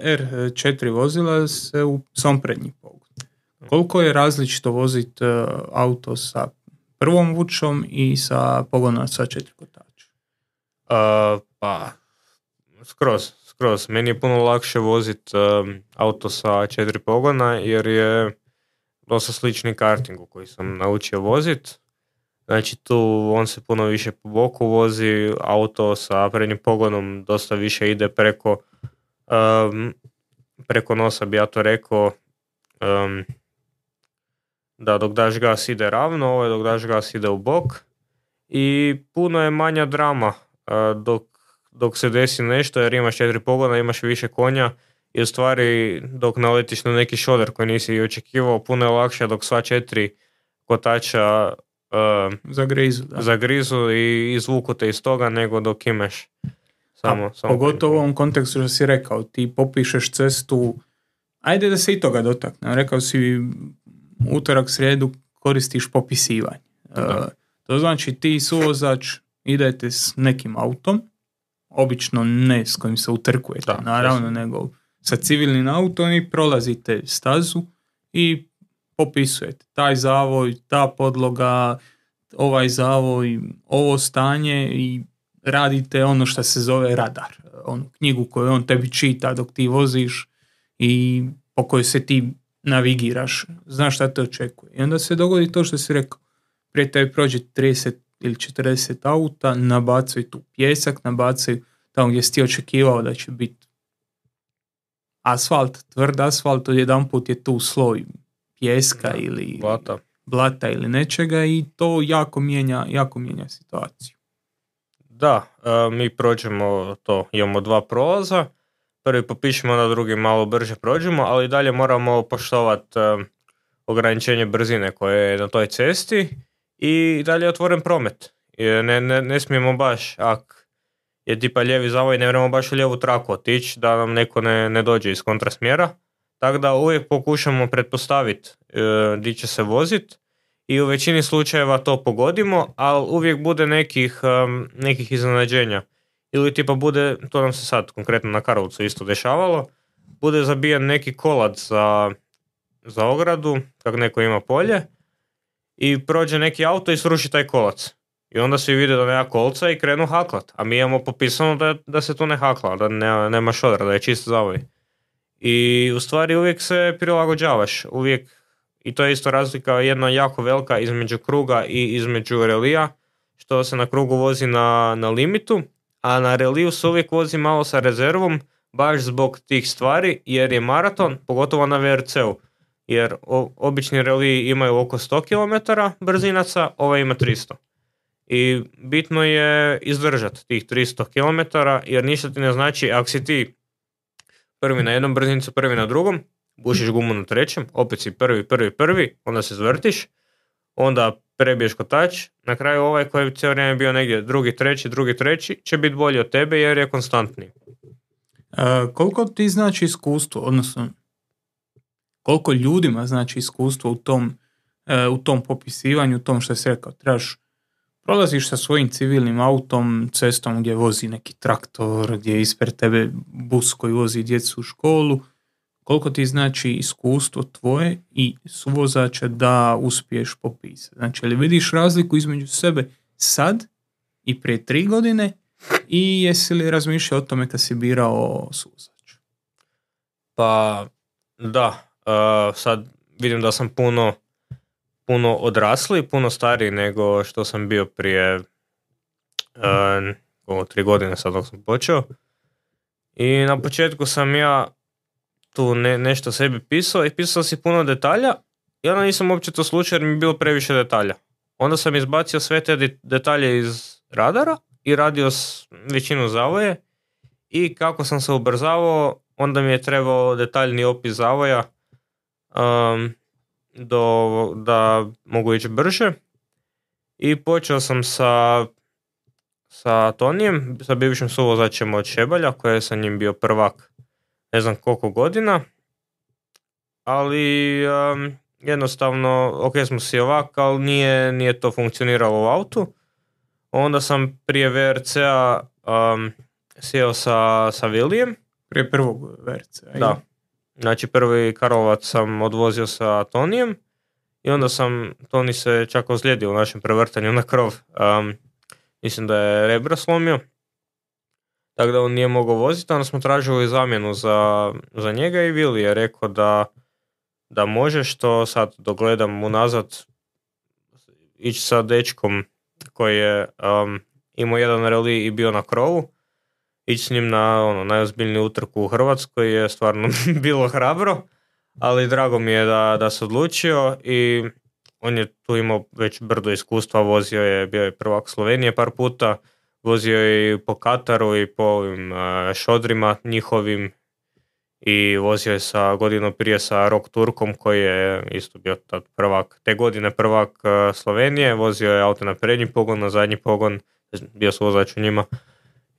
R četiri vozila se u sam prednji pogon. Koliko je različito voziti uh, auto sa prvom vučom i sa pogonom sa četiri kotača? Uh, pa, skroz, skroz. Meni je puno lakše voziti um, auto sa četiri pogona jer je dosta slični kartingu koji sam naučio voziti. Znači tu on se puno više po boku vozi, auto sa prednjim pogonom dosta više ide preko um, preko nosa, bi ja to rekao, um, da dok daš gas ide ravno, ovo je dok daš gas ide u bok i puno je manja drama uh, dok, dok se desi nešto jer imaš četiri pogona, imaš više konja i u stvari dok naletiš na neki šoder koji nisi očekivao, puno je lakše dok sva četiri kotača Uh, zagrizu, da. zagrizu i izvuku te iz toga nego dok imaš samo, A, samo pogotovo u ovom kontekstu što si rekao, ti popišeš cestu, ajde da se i toga dotakne, rekao si utorak, srijedu koristiš popisivanje. Uh, to znači ti suvozač idete s nekim autom, obično ne s kojim se utrkujete, da, naravno, jesno. Nego sa civilnim autom i prolazite stazu i popisujete taj zavoj, ta podloga, ovaj zavoj, ovo stanje i radite ono što se zove radar. Onu knjigu koju on tebi čita dok ti voziš i po kojoj se ti navigiraš. Znaš šta te očekuje. I onda se dogodi to što si rekao. Prije tebi prođe trideset ili četrdeset auta, nabacaju tu pjesak, nabacaju tamo gdje si ti očekivao da će biti asfalt, tvrd asfalt, jedan put je tu sloj pjeska ili blata. blata ili nečega i to jako mijenja, jako mijenja situaciju. Da, mi prođemo to, imamo dva prolaza. prvi popišemo, onda drugi malo brže prođemo, ali dalje moramo poštovati uh, ograničenje brzine koje je na toj cesti i dalje je otvoren promet. Ne, ne, ne smijemo baš, ako je tipa lijevi zavoj, ne moramo baš u lijevu traku otići da nam neko ne, ne dođe iz kontrasmjera. Tako da uvijek pokušamo pretpostaviti uh, di će se voziti i u većini slučajeva to pogodimo, ali uvijek bude nekih, um, nekih iznenađenja. Ili tipa bude, to nam se sad konkretno na Karlovcu isto dešavalo, bude zabijen neki kolac za, za ogradu, kak neko ima polje, i prođe neki auto i sruši taj kolac. I onda svi vide da nema kolca i krenu haklat. A mi imamo popisano da, da se tu ne hakla, da ne, nema šodra, da je čist zavoj. I u stvari uvijek se prilagođavaš. Uvijek, i to je isto razlika jedna jako velika između kruga i između relija, što se na krugu vozi na, na limitu, a na reliju se uvijek vozi malo sa rezervom, baš zbog tih stvari, jer je maraton, pogotovo na V R C-u. Jer o, obični reliji imaju oko sto kilometara brzinaca, ovaj ima tristo. I bitno je izdržati tih tristo kilometara, jer ništa ti ne znači, ako si ti prvi na jednom brzincu, prvi na drugom, bušiš gumu na trećem, opet si prvi, prvi, prvi, onda se zvrtiš, onda prebiješ kotač, na kraju ovaj koji je cijelo vrijeme bio negdje drugi, treći, drugi, treći, će biti bolji od tebe jer je konstantniji. E, koliko ti znači iskustvo, odnosno koliko ljudima znači iskustvo u tom, e, u tom popisivanju, u tom što si rekao, trebaš prolaziš sa svojim civilnim autom, cestom gdje vozi neki traktor, gdje je ispred tebe bus koji vozi djecu u školu, koliko ti znači iskustvo tvoje i suvozača da uspiješ popisati. Znači, ali vidiš razliku između sebe sad i prije tri godine i jesi li razmišljao o tome kad si birao suvozača? Pa, da. Uh, sad vidim da sam puno puno odrasli, puno stariji nego što sam bio prije uh, ovo, tri godine sad dok sam počeo. I na početku sam ja tu ne, nešto sebi pisao i pisao si puno detalja i onda nisam uopće to slučaj jer mi je bilo previše detalja. Onda sam izbacio sve te detalje iz radara i radio s većinu zavoje i kako sam se ubrzavao, onda mi je trebao detaljni opis zavoja um, do, da mogu ići brže. I počeo sam sa, sa Tonijem, sa bivšim suvozačem od Šebalja, koji je sa njim bio prvak ne znam koliko godina. Ali um, jednostavno, ok smo si ovak, ali nije, nije to funkcioniralo u autu. Onda sam prije V R C-a um, sjeo sa, sa Vilijem. Prije prvog V R C-a. Da. Znači prvi Karlovac sam odvozio sa Tonijem i onda sam, Toni se čak ozlijedio u našem prevrtanju na krov. Um, mislim da je rebra slomio. Tako da on nije mogao voziti, onda smo tražili zamjenu za, za njega i Vili je rekao da, da može, što sad dogledam unazad ići sa dečkom koji je um, imao jedan rally i bio na krovu. Ići s njim na ono, najozbiljniju utrku u Hrvatskoj je stvarno bilo hrabro, ali drago mi je da, da se odlučio i on je tu imao već brdo iskustva, vozio je, bio je prvak Slovenije par puta, vozio je i po Kataru i po ovim uh, šodrima njihovim i vozio je sa godinu prije sa Rock Turkom koji je isto bio tad prvak, te godine prvak uh, Slovenije, vozio je auto na prednji pogon, na zadnji pogon, bio su vozač u njima.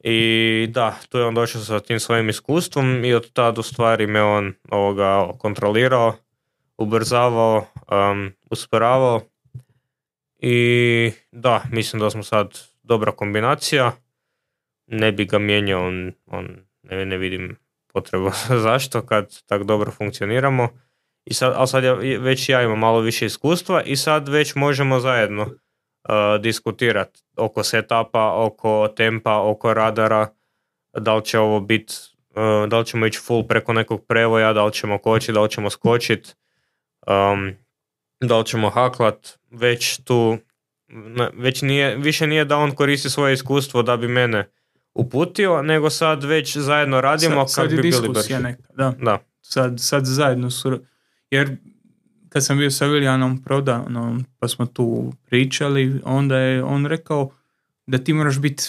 I da, tu je on došao sa tim svojim iskustvom i od tada u stvari me on ovoga kontrolirao, ubrzavao, um, usporavao i da, mislim da smo sad dobra kombinacija, ne bi ga mijenjao, on, on ne, ne vidim potrebu zašto kad tak dobro funkcioniramo. I sad, ali sad ja, već ja imam malo više iskustva i sad već možemo zajedno uh, diskutirati oko setupa, oko tempa, oko radara, da li će ovo biti, uh, da li ćemo ići full preko nekog prevoja, da li ćemo kočiti, da li ćemo skočiti, um, da li ćemo haklat, već tu, već nije, više nije da on koristi svoje iskustvo da bi mene uputio, nego sad već zajedno radimo sad, kako sad bi bili brži. Neka, da. Da. Sad, sad zajedno su, jer kad sam bio sa Viljanom Prodanom, pa smo tu pričali, onda je on rekao da ti moraš biti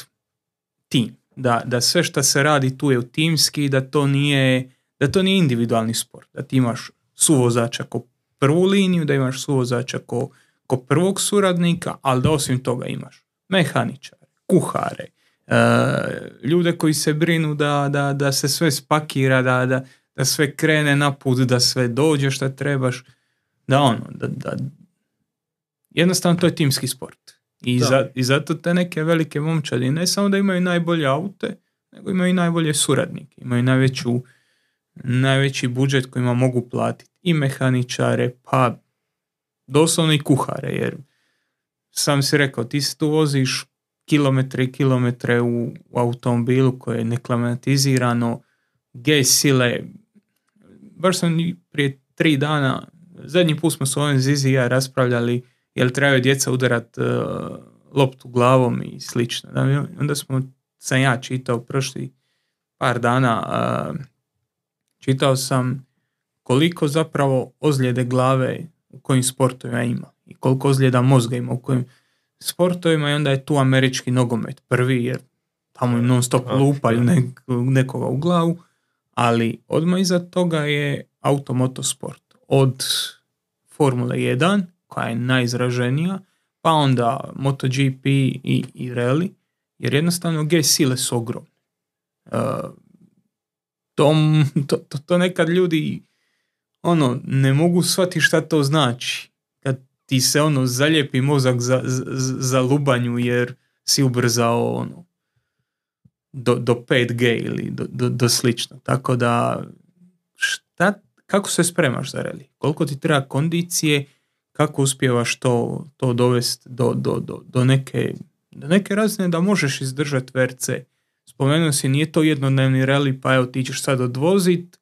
tim. da, da sve što se radi tu je u timski, da to nije, da to nije individualni sport, da ti imaš suvozača ko prvu liniju, da imaš suvozača ko, ko prvog suradnika, ali da osim toga imaš mehaničare, kuhare, e, ljude koji se brinu da, da, da se sve spakira, da, da, da sve krene na put, da sve dođe što trebaš, da ono, da, da jednostavno to je timski sport. I, za, I zato te neke velike momčadi ne samo da imaju najbolje aute, nego imaju i najbolje suradnike, imaju najveću, najveći budžet kojima mogu platiti i mehaničare, pa doslovno i kuhare, jer sam si rekao, ti se tu voziš kilometre i kilometre u, u automobilu koje je neklimatizirano, gej sile. Baš sam prije tri dana, zadnji put smo s ovim Zizi i ja raspravljali jel trebaju djeca udarat uh, loptu glavom i slično. Da, onda smo, sam ja čitao prošli par dana, uh, čitao sam koliko zapravo ozljede glave u kojim sportovima ima i koliko ozljeda mozga ima u kojim sportovima, i onda je tu američki nogomet prvi, jer tamo im non stop lupaju nek, nekoga u glavu, ali odmah iza toga je automotosport. Od Formule jedan, koja je najizraženija, pa onda MotoGP i, i rally, jer jednostavno G sile su ogromne. Uh, to, to, to, to nekad ljudi ono, ne mogu shvatiti šta to znači. Kad ti se ono zalijepi mozak za, za, za lubanju jer si ubrzao ono do, do pet G ili do, do, do slično. Tako da šta, kako se spremaš za rally? Koliko ti treba kondicije, kako uspijevaš to, to dovesti do, do, do, do, neke, do neke razine da možeš izdržati V R C. Spomenuo si, nije to jednodnevni rally, pa evo ti ćeš sad odvozit,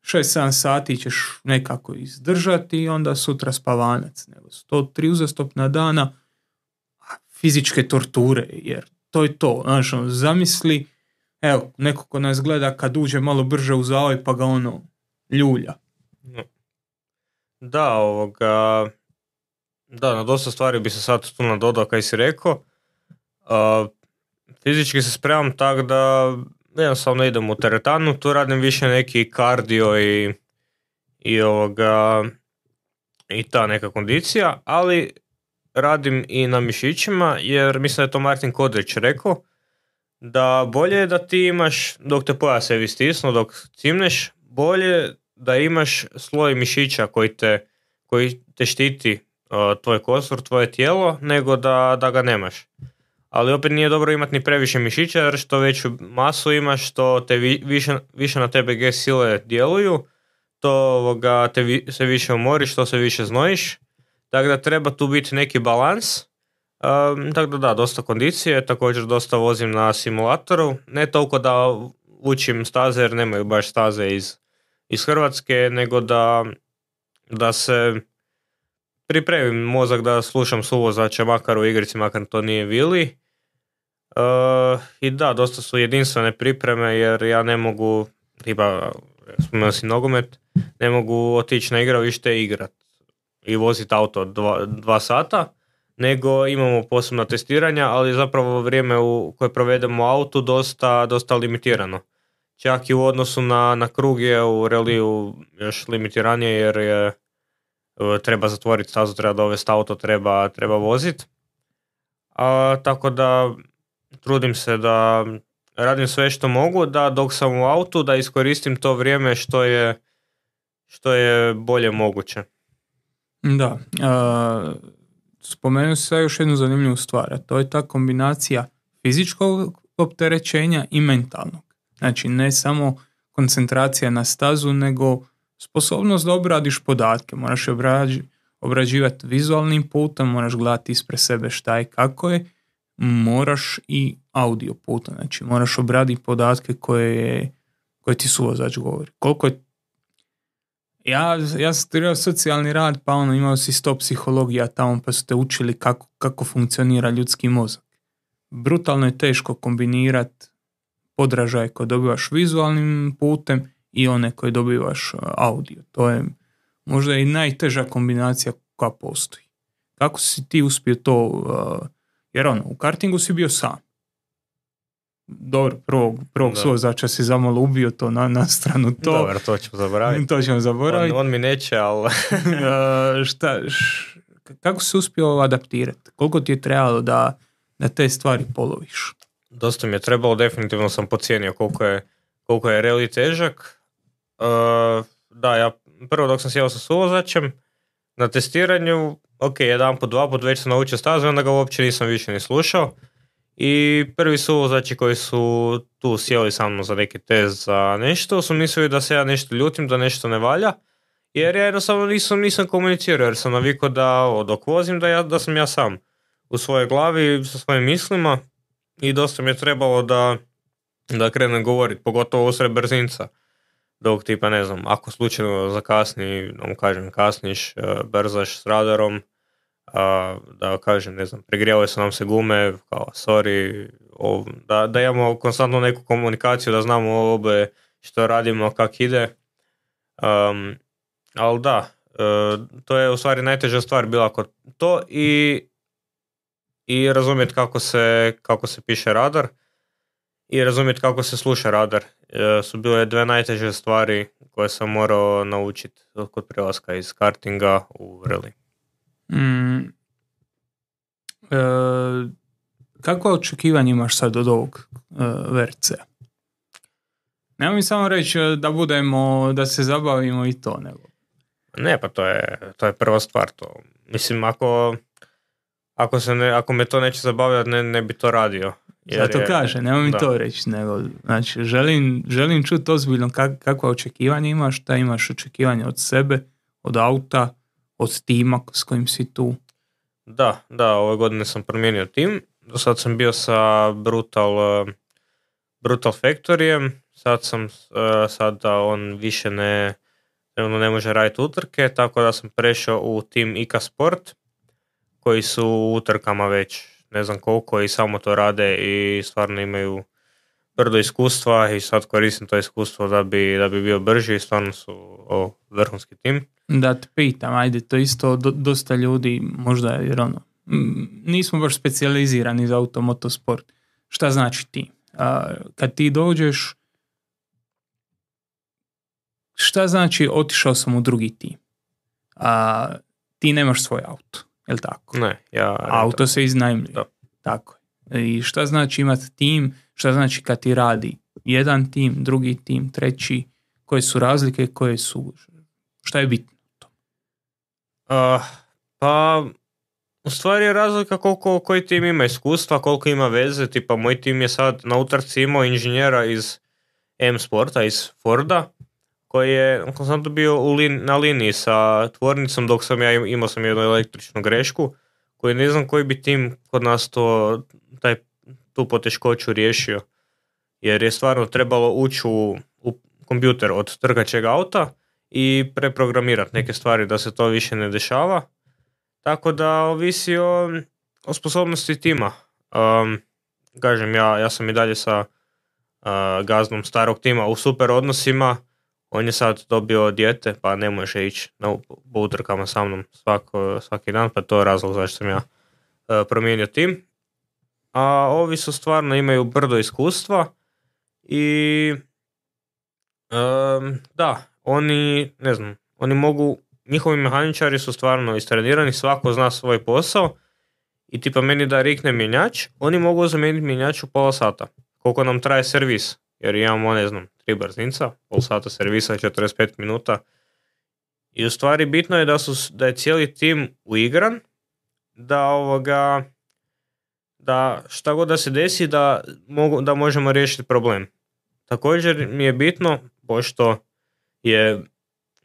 šest sedam sati ćeš nekako izdržati i onda sutra spavanac. Nego su to tri uzastopna dana fizičke torture, jer to je to. Znaš, ono, zamisli, evo, neko ko nas gleda kad uđe malo brže u zavoj pa ga ono ljulja. Da, ovoga... Da, na dosta stvari bi se sad tu nadodao kaj si rekao. Uh, fizički se spremam tako da jednostavno idem u teretanu, tu radim više neki kardio i, i, ovoga, i ta neka kondicija, ali radim i na mišićima, jer mislim da je to Martin Kodrić rekao, da bolje je da ti imaš, dok te pojasevi stisnu, dok cimneš, bolje da imaš sloj mišića koji te, koji te štiti tvoj kostur, tvoje tijelo, nego da, da ga nemaš. Ali opet nije dobro imati ni previše mišića, jer što veću masu imaš, što te vi, više, više na tebe G sile djeluju, to ovoga, te vi, se više umoriš, što se više znojiš. Tako da treba tu biti neki balans. Um, tako da da, dosta kondicije, također dosta vozim na simulatoru. Ne toliko da učim staze, jer nemaju baš staze iz, iz Hrvatske, nego da, da se pripremim mozak da slušam suvozača makar u igrici, makar to nije Vili. Uh, I da, dosta su jedinstvene pripreme, jer ja ne mogu, tipa, spomenuo si nogomet, ne mogu otići na igralište i igrat i voziti auto dva, dva sata, nego imamo posebna testiranja, ali zapravo vrijeme u koje provedemo u autu dosta, dosta limitirano. Čak i u odnosu na, na krug je u reliju još limitiranije, jer je treba zatvoriti stazu, treba dovesti auto, treba, treba voziti. A, tako da trudim se da radim sve što mogu, da dok sam u autu da iskoristim to vrijeme što je, što je bolje moguće. Da, a, spomenuo sam još jednu zanimljivu stvar, a to je ta kombinacija fizičkog opterećenja i mentalnog. Znači ne samo koncentracija na stazu, nego sposobnost da obradiš podatke. Moraš obrađi, obrađivati vizualnim putem, moraš gledati ispred sebe šta je, kako je, moraš i audio putem. Znači moraš obraditi podatke koje, je, koje ti suvozač govori. Koliko je... Ja, ja sam studirao socijalni rad, pa ono, imao si sto psihologija tamo, pa su te učili kako, kako funkcionira ljudski mozak. Brutalno je teško kombinirati podražaje koje dobivaš vizualnim putem i one koje dobivaš audio. To je možda i najteža kombinacija koja postoji. Kako si ti uspio to, uh, jer ono, u kartingu si bio sam. dobro, prvog, prvog suvozača si zamalo ubio to na, na stranu to. Dobro, to ćemo zaboraviti. To ćemo zaboraviti. On, on mi neće, ali... šta, š, kako si uspio adaptirati? Koliko ti je trebalo da, da te stvari poloviš? Dosta mi je trebalo, definitivno sam pocijenio koliko je, koliko je reli težak. Uh, da, ja prvo dok sam sjeo sa suvozačem, na testiranju, ok, jedan put, dva put već sam naučio stazu, onda ga uopće nisam više ni slušao. I prvi suvozači koji su tu sjeli sa mnom za neki test za nešto, su mislili da se ja nešto ljutim, da nešto ne valja, jer ja jednostavno nisam, nisam komunicirao, jer sam navikao da dok vozim da, ja, da sam ja sam u svojoj glavi sa svojim mislima i dosta mi je trebalo da, da krenem govoriti, pogotovo usred brzinca. Dok tipa, ne znam, ako slučajno zakasni, da mu kažem kasniš, brzaš s radarom, da kažem, ne znam, pregrijale su nam se gume, kao sorry, o, da, da imamo konstantno neku komunikaciju, da znamo oboje što radimo, kak ide. Um, ali da, uh, to je u stvari najteža stvar bila kod to i, i razumjeti kako se, kako se piše radar i razumjeti kako se sluša radar. Uh, su bile dve najteže stvari koje sam morao naučiti kod prelaska iz kartinga u rally. Mm, e, kakva očekivanja imaš sad od ovog e, V R C-a? Nemoj mi samo reći da budemo, da se zabavimo i to, nego. Ne, pa to je, to je prva stvar. To. Mislim, ako, ako, se ne, ako me to neće zabavljati, ne, ne bi to radio. Jer Zato je, kaže, nemoj mi da. to reći, nego, znači, želim, želim čuti ozbiljno kak, kakva očekivanja imaš, šta imaš očekivanja od sebe, od auta, od tima s kojim si tu. Da, da, ove godine sam promijenio tim. Do sad sam bio sa Brutal, Brutal Factoryjem. Sad sam, sad da on više ne, ne može raditi utrke, tako da sam prešao u tim I K A Sport, koji su u utrkama već ne znam koliko i samo to rade i stvarno imaju brdo iskustva i sad koristim to iskustvo da bi, da bi bio brži i stvarno su o, vrhunski tim. Da te pitam, ajde, to isto do, dosta ljudi možda, jer ono, nismo baš specijalizirani za automotosport. Šta znači ti? A, kad ti dođeš, šta znači otišao sam u drugi tim? A, ti nemaš svoj auto, je li tako? Ne, ja... Auto se iznajmljuje. Da. Tako je. I šta znači imati tim? Šta znači kad ti radi jedan tim, drugi tim, treći? Koje su razlike, koje su... Šta je bitno? Uh, pa, u stvari je razlika koliko koji tim ima iskustva, koliko ima veze. Tipa, moj tim je sad na utrci imao inženjera iz M-Sporta, iz Forda, koji je konstantno bio u lin, na liniji sa tvornicom, dok sam ja imao sam jednu električnu grešku, koji ne znam koji bi tim kod nas to, taj, tu poteškoću riješio. Jer je stvarno trebalo ući u, u kompjuter od trkaćeg auta i preprogramirati neke stvari da se to više ne dešava. Tako da ovisi o, o sposobnosti tima. Um, kažem, ja, ja sam i dalje sa uh, gaznom starog tima u super odnosima. On je sad dobio dijete, pa ne može ići na utrkama sa mnom svako, svaki dan, pa to je razlog zašto sam ja uh, promijenio tim. A ovi su stvarno imaju brdo iskustva i um, da, oni, ne znam, oni mogu, njihovi mehaničari su stvarno istrenirani, svako zna svoj posao i tipa meni da rikne mjenjač, oni mogu zamijeniti mjenjač u pola sata, koliko nam traje servis, jer imamo, ne znam, tri brzinca, pol sata servisa, četrdeset pet minuta i u stvari bitno je da, su, da je cijeli tim uigran, da ovoga, da šta god da se desi, da, mogu, da možemo riješiti problem. Također mi je bitno, pošto je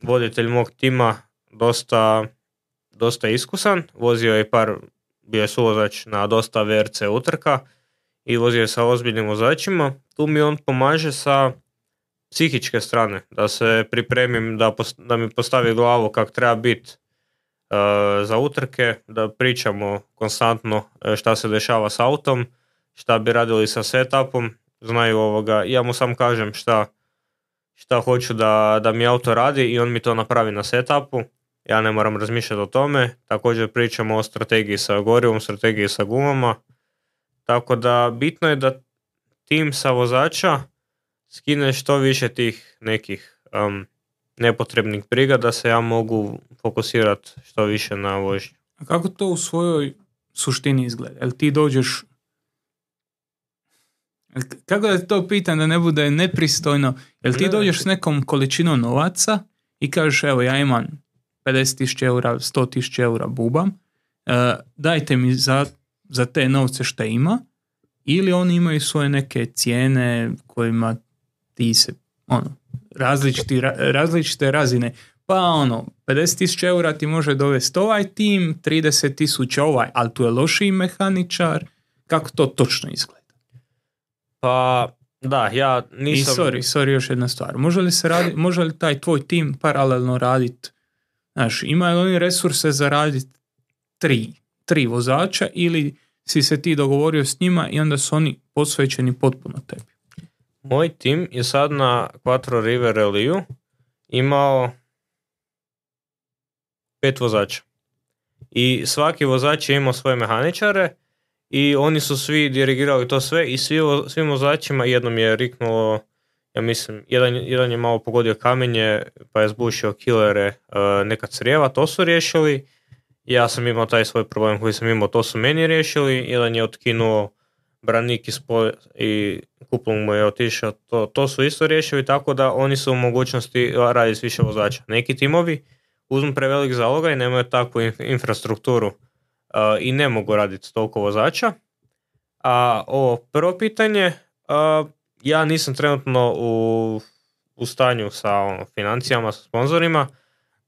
voditelj mog tima dosta, dosta iskusan, vozio je par, bio je suvozač na dosta V R C utrka i vozio je sa ozbiljnim vozačima, tu mi on pomaže sa psihičke strane, da se pripremim, da, post, da mi postavi glavu kak treba biti uh, za utrke, da pričamo konstantno šta se dešava s autom, šta bi radili sa setupom, znaju ovoga, ja mu sam kažem šta šta hoću da, da mi auto radi i on mi to napravi na setupu. Ja ne moram razmišljati o tome. Također pričamo o strategiji sa gorivom, strategiji sa gumama. Tako da bitno je da tim sa vozača skine što više tih nekih um, nepotrebnih briga da se ja mogu fokusirati što više na vožnju. A kako to u svojoj suštini izgleda? Jel ti dođeš... Kako da to pitam da ne bude nepristojno? Jel ti ne, dođeš s nekom količinom novaca i kažeš evo ja imam pedeset tisuća eura, sto tisuća eura bubam, uh, dajte mi za, za te novce što ima, ili oni imaju svoje neke cijene kojima ti se ono, različiti, različite razine. Pa ono, pedeset tisuća eura ti može dovesti ovaj tim, trideset tisuća ovaj, ali tu je lošiji mehaničar. Kako to točno izgleda? Pa, da, ja nisam... I sorry, sorry, još jedna stvar. Može li, se radi, može li taj tvoj tim paralelno raditi, znaš, imaju li oni resurse za raditi tri, tri vozača ili si se ti dogovorio s njima i onda su oni posvećeni potpuno tebi? Moj tim je sad na Quattro River Rallyu imao pet vozača. I svaki vozač je imao svoje mehaničare i oni su svi dirigirali to sve i svi, svim vozačima jednom je riknulo, ja mislim, jedan, jedan je malo pogodio kamenje pa je zbušio kilere uh, neka crijeva, to su riješili. Ja sam imao taj svoj problem koji sam imao, to su meni riješili. Jedan je otkinuo branik iz polja i kuplung mu je otišao, to, to su isto riješili, tako da oni su u mogućnosti raditi s više vozača. Neki timovi uzmu prevelik zalogaj i nemaju takvu infrastrukturu uh, i ne mogu raditi toliko vozača. A ovo prvo pitanje, uh, ja nisam trenutno u, u stanju sa ono, financijama, sa sponzorima,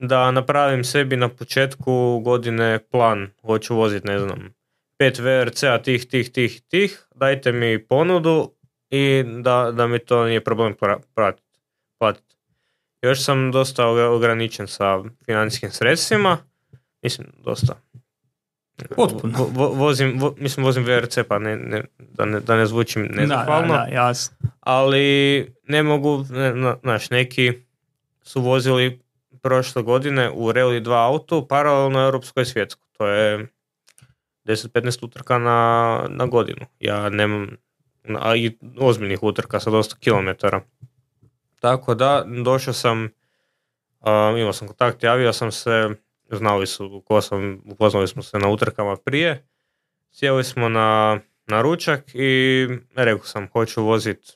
da napravim sebi na početku godine plan, hoću voziti, ne znam, pet V R C-a tih, tih, tih, tih, dajte mi ponudu i da, da mi to nije problem platiti. Još sam dosta ograničen sa financijskim sredstvima, mislim, dosta. Potpuno. Vo, vo, vozim, vo, mislim, vozim V R C, pa ne, ne, da, ne, da ne zvučim nezahvalno, da, da, da, jasno. Ali ne mogu, ne, znaš, neki su vozili prošle godine u Rally dva autu paralelno europskoj i svjetskoj. To je deset do petnaest utrka na, na godinu. Ja nemam, a i ozbiljnih utrka sa dosta kilometara. Tako da, došao sam, um, imao sam kontakt, javio sam se, znali su ko sam, upoznali smo se na utrkama prije, sjeli smo na, na ručak i rekao sam, hoću voziti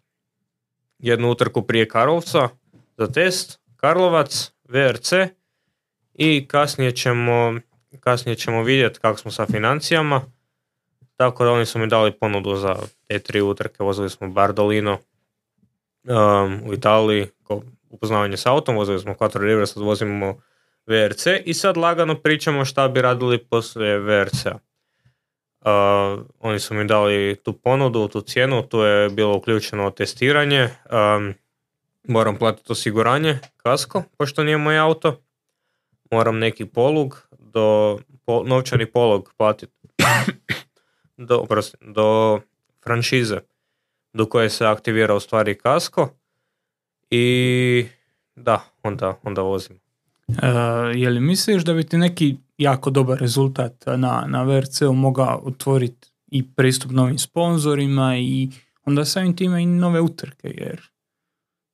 jednu utrku prije Karlovca za test, Karlovac, V R C i kasnije ćemo, kasnije ćemo vidjeti kako smo sa financijama, tako da oni su mi dali ponudu za te tri utrke, vozili smo Bardolino um, u Italiji, ko upoznavanje s autom, vozili smo Quattro River, sad vozimo V R C i sad lagano pričamo šta bi radili poslije V R C-a. Uh, oni su mi dali tu ponudu, tu cijenu, tu je bilo uključeno testiranje, um, moram platiti osiguranje, kasko, pošto nije moj auto, moram neki polug, do, po, novčani polog platiti do, oprosti, do franšize do koje se aktivira u stvari kasko i da, onda, onda vozim. Uh, je li misliš da bi ti neki jako dobar rezultat na, na V R C-u mogao otvoriti i pristup novim sponzorima i onda samim time i nove utrke, jer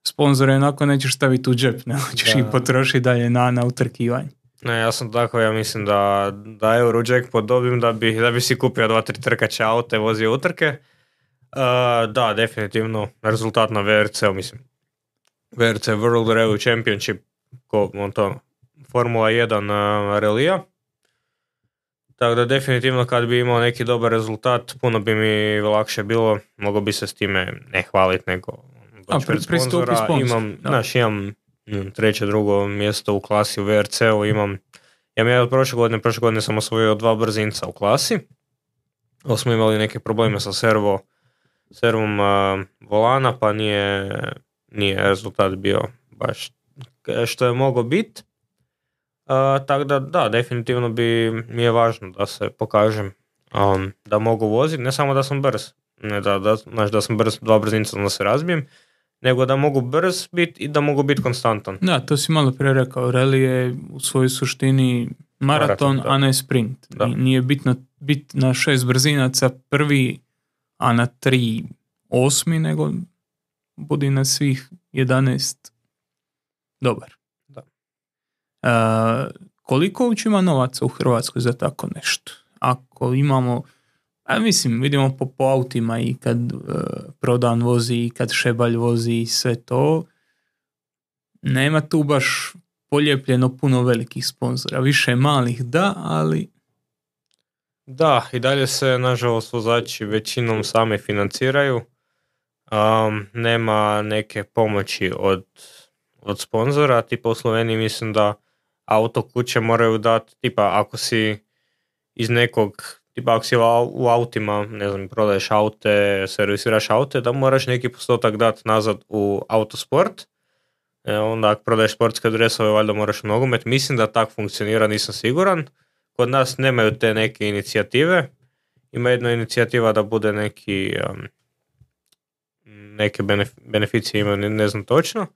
sponzore onako nećeš staviti u džep, ne hoćeš ih potrošiti dalje na, na utrkivanje. Ne, ja sam tako, ja mislim da, da Eurojackpot dobim da bi, da bi si kupio dva, tri trkača auta i vozio utrke. Uh, da, definitivno, rezultat na V R C-u, mislim, V R C World Rally Championship, ko on to, Formula jedan uh, relija. Tako da definitivno kad bi imao neki dobar rezultat, puno bi mi lakše bilo, mogao bi se s time ne hvaliti, nego doći pred sponzora. Imam, znaš, imam treće, drugo mjesto u klasi u V R C-u, imam, ja mi je od prošle godine, prošle godine sam osvojio dva brzinca u klasi, ali smo imali neke probleme sa servo, servom uh, volana, pa nije, nije rezultat bio baš što je mogao biti. Uh, tako da, da, definitivno bi mi je važno da se pokažem um, da mogu voziti, ne samo da sam brz, ne da, da, znači da sam brz, dva brzinca da se razbijem, nego da mogu brz biti i da mogu biti konstantan. Da, to si malo prije rekao, rally je u svojoj suštini maraton, maraton a ne sprint. Da. Nije bitno biti na šest brzinaca prvi, a na tri osmi, nego budi na svih jedanaest dobar. Da. Uh, koliko uopće ima novaca u Hrvatskoj za tako nešto? Ako imamo, a mislim, vidimo po, po autima i kad uh, Prodan vozi i kad Šebalj vozi i sve to, nema tu baš polijepljeno puno velikih sponzora. Više malih da, ali... Da, i dalje se, nažalost, vozači većinom sami financiraju. Um, nema neke pomoći od, od sponzora. Tipa u Sloveniji mislim da auto kuće moraju dati, tipa ako si iz nekog, tipa ako si u autima, ne znam, prodaješ aute, servisiraš aute, da moraš neki postotak dati nazad u autosport. E, onda ako prodaješ sportske dresove, valjda moraš u nogomet. Mislim da tak funkcionira, nisam siguran. Kod nas nemaju te neke inicijative. Ima jedna inicijativa da bude neki um, neke benef- beneficije imaju, ne, ne znam točno,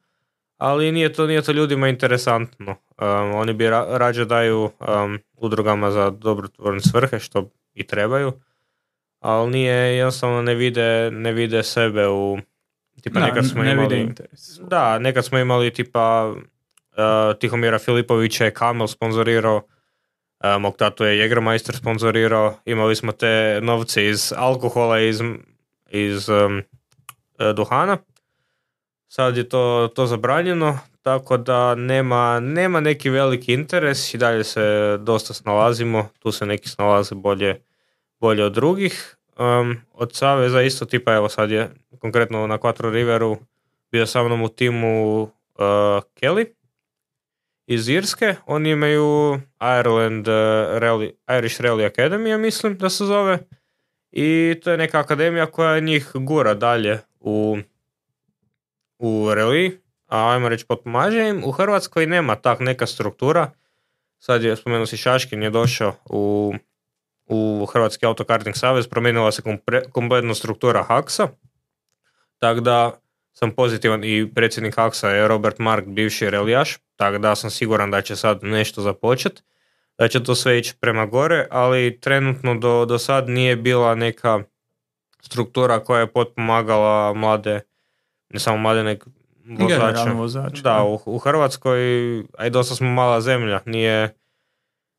ali nije to, nije to ljudima interesantno. Um, oni bi ra- rađe daju um, udrugama za dobrotvorne svrhe, što i trebaju, ali nije, jednostavno ne vide, ne vide sebe u... Tipa da, nekad smo ne imali, vide interes. Da, nekad smo imali tipa uh, Tihomira Filipovića je Kamel sponzorirao, uh, mog tatu je Jägermeister sponzorirao, imali smo te novce iz alkohola, iz, iz um, duhana. Sad je to, to zabranjeno, tako da nema, nema neki veliki interes i dalje se dosta snalazimo, tu se neki snalaze bolje, bolje od drugih. Um, od saveza isto tipa, evo sad je konkretno na Quattro Riveru bio sa mnom u timu uh, Kelly iz Irske, oni imaju Ireland uh, Rally, Irish Rally Academy, mislim da se zove, i to je neka akademija koja njih gura dalje u, u rally, a ajmo reći potpomaže im. U Hrvatskoj nema tak neka struktura, sad je, spomenuo si Šaškin je došao u u Hrvatski autokarting savez, promijenila se kompre, kompletna struktura Haksa, tako da sam pozitivan i predsjednik Haksa je Robert Mark, bivši relijaš, tako da sam siguran da će sad nešto započeti, da će to sve ići prema gore, ali trenutno do, do sad nije bila neka struktura koja je potpomagala mlade, ne samo mlade, nek vozače. vozače. Da, u, u Hrvatskoj, a i dosta smo mala zemlja, nije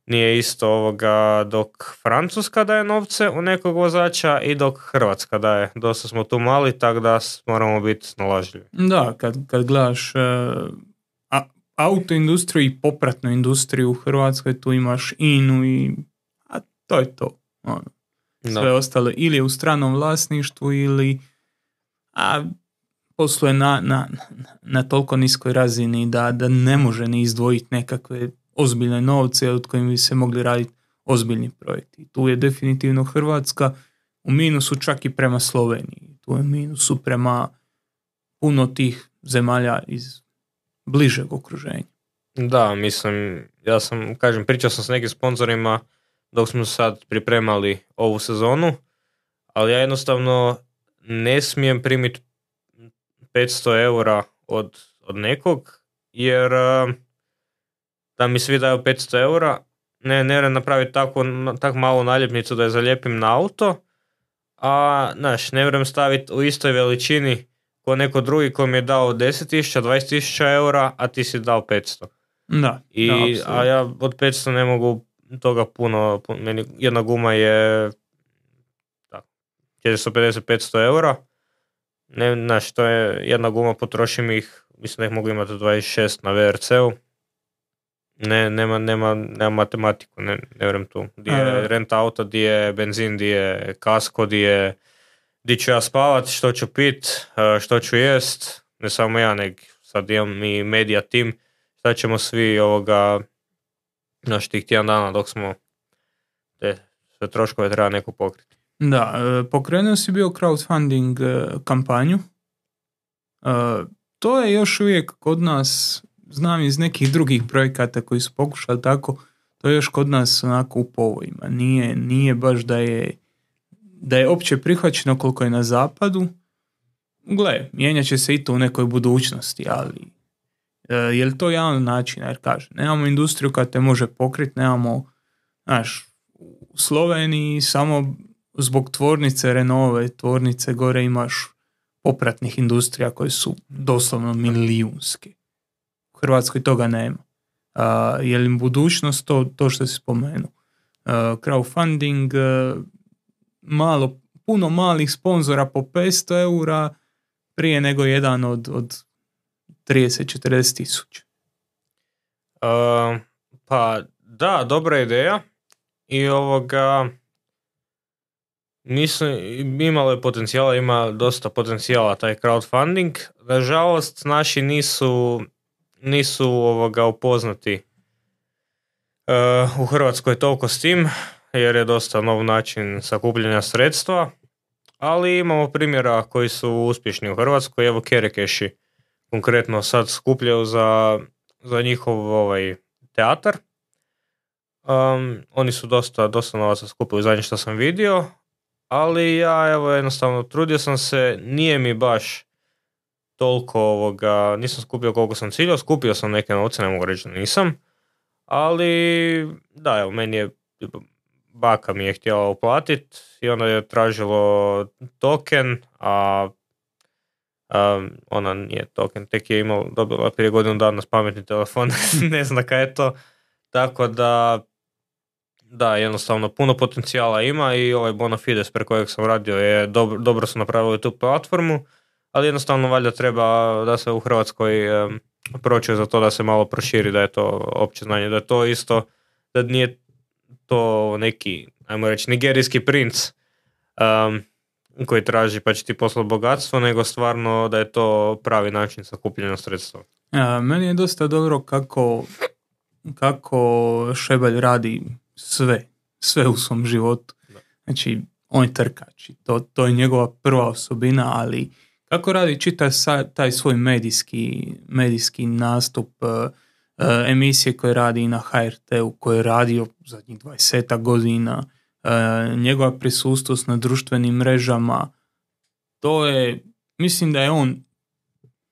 Nije isto ovoga dok Francuska daje novce u nekog vozača i dok Hrvatska daje. Dosta smo tu mali, tako da moramo biti snalažljivi. Da, kad, kad gledaš uh, a, autoindustriju i popratnu industriju u Hrvatskoj, tu imaš I N U i a to je to. Ono. Sve Da. ostalo ili je u stranom vlasništvu ili a, posluje na, na, na toliko niskoj razini da, da ne može ni izdvojiti nekakve ozbiljne novce od kojim bi se mogli raditi ozbiljni projekti. Tu je definitivno Hrvatska u minusu čak i prema Sloveniji. Tu je minusu prema puno tih zemalja iz bližeg okruženja. Da, mislim, ja sam, kažem, pričao sam s nekim sponzorima dok smo sad pripremali ovu sezonu, ali ja jednostavno ne smijem primiti petsto eura od, od nekog, jer da mi svi daju petsto eura, ne, ne vjerujem napraviti tako, tako malu naljepnicu da je zalijepim na auto, a znaš, ne vjerujem staviti u istoj veličini ko neko drugi ko mi je dao deset tisuća, dvadeset tisuća eura, a ti si dao petsto. Da, I, da, a ja od petsto ne mogu toga puno, puno meni jedna guma je četiristo pedeset do petsto eura, ne, znaš, to je jedna guma, potrošim ih, mislim da ih mogu imati dvadeset šest na V R C-u. Ne, nema, nema, nema matematiku, ne, ne vjerujem tu. Di je uh, renta auta, di je benzin, di je kasko, di je di ću ja spavat, što ću pit, što ću jest, ne samo ja, nek sad imam i media tim, šta ćemo svi ovoga, naš tih tjedan dana dok smo te sve troškove treba neko pokriti. Da, pokrenuo si bio crowdfunding kampanju. To je još uvijek kod nas, znam iz nekih drugih projekata koji su pokušali tako, to je još kod nas onako u povojima. Nije, nije baš da je da je opće prihvaćeno koliko je na zapadu. Gle, mijenjat će se i to u nekoj budućnosti, ali e, je li to jedan način, jer kaže, nemamo industriju koja te može pokriti, nemamo, znaš, u Sloveniji samo zbog tvornice Renaultove, tvornice gore imaš popratnih industrija koje su doslovno milijunske. U Hrvatskoj toga nema. Uh, je li budućnost to, to što si spomenuo? Uh, crowdfunding, uh, malo, puno malih sponzora po petsto eura prije nego jedan od, od trideset do četrdeset tisuća. Uh, pa da, dobra ideja i ovoga mislim, imalo je potencijala, ima dosta potencijala taj crowdfunding. Nažalost, naši nisu nisu ovoga upoznati uh, u Hrvatskoj toliko s tim, jer je dosta nov način sakupljanja sredstva, ali imamo primjera koji su uspješni u Hrvatskoj. Evo Kerekeši konkretno sad skupljaju za, za njihov ovaj, teatar. Um, oni su dosta, dosta novaca skupili zadnje što sam vidio, ali ja evo jednostavno trudio sam se, nije mi baš toliko ovoga, nisam skupio koliko sam ciljao, skupio sam neke novce, ne mogu reći da nisam, ali da, evo, meni je, baka mi je htjela uplatiti i onda je tražilo token, a, a ona nije token, tek je imala, dobila prije godinu dana s pametni telefon, ne znam kaj je to, tako da, da, jednostavno puno potencijala ima i ovaj Bonafides preko kojeg sam radio je dobro, dobro su napravili tu platformu, ali jednostavno valjda treba da se u Hrvatskoj um, proći za to da se malo proširi, da je to opće znanje, da je to isto, da nije to neki, ajmo reći, nigerijski princ um, koji traži pa će ti poslati bogatstvo, nego stvarno da je to pravi način sakupljanja sredstva. A, meni je dosta dobro kako, kako Šebalj radi sve, sve u svom životu. Znači, on je trkač, to, to je njegova prva osobina, ali kako radi čita sa, taj svoj medijski, medijski nastup, uh, uh, emisije koje radi na ha er te-u, koje je radio zadnjih dvadeset godina, uh, njegova prisutnost na društvenim mrežama, to je, mislim da je on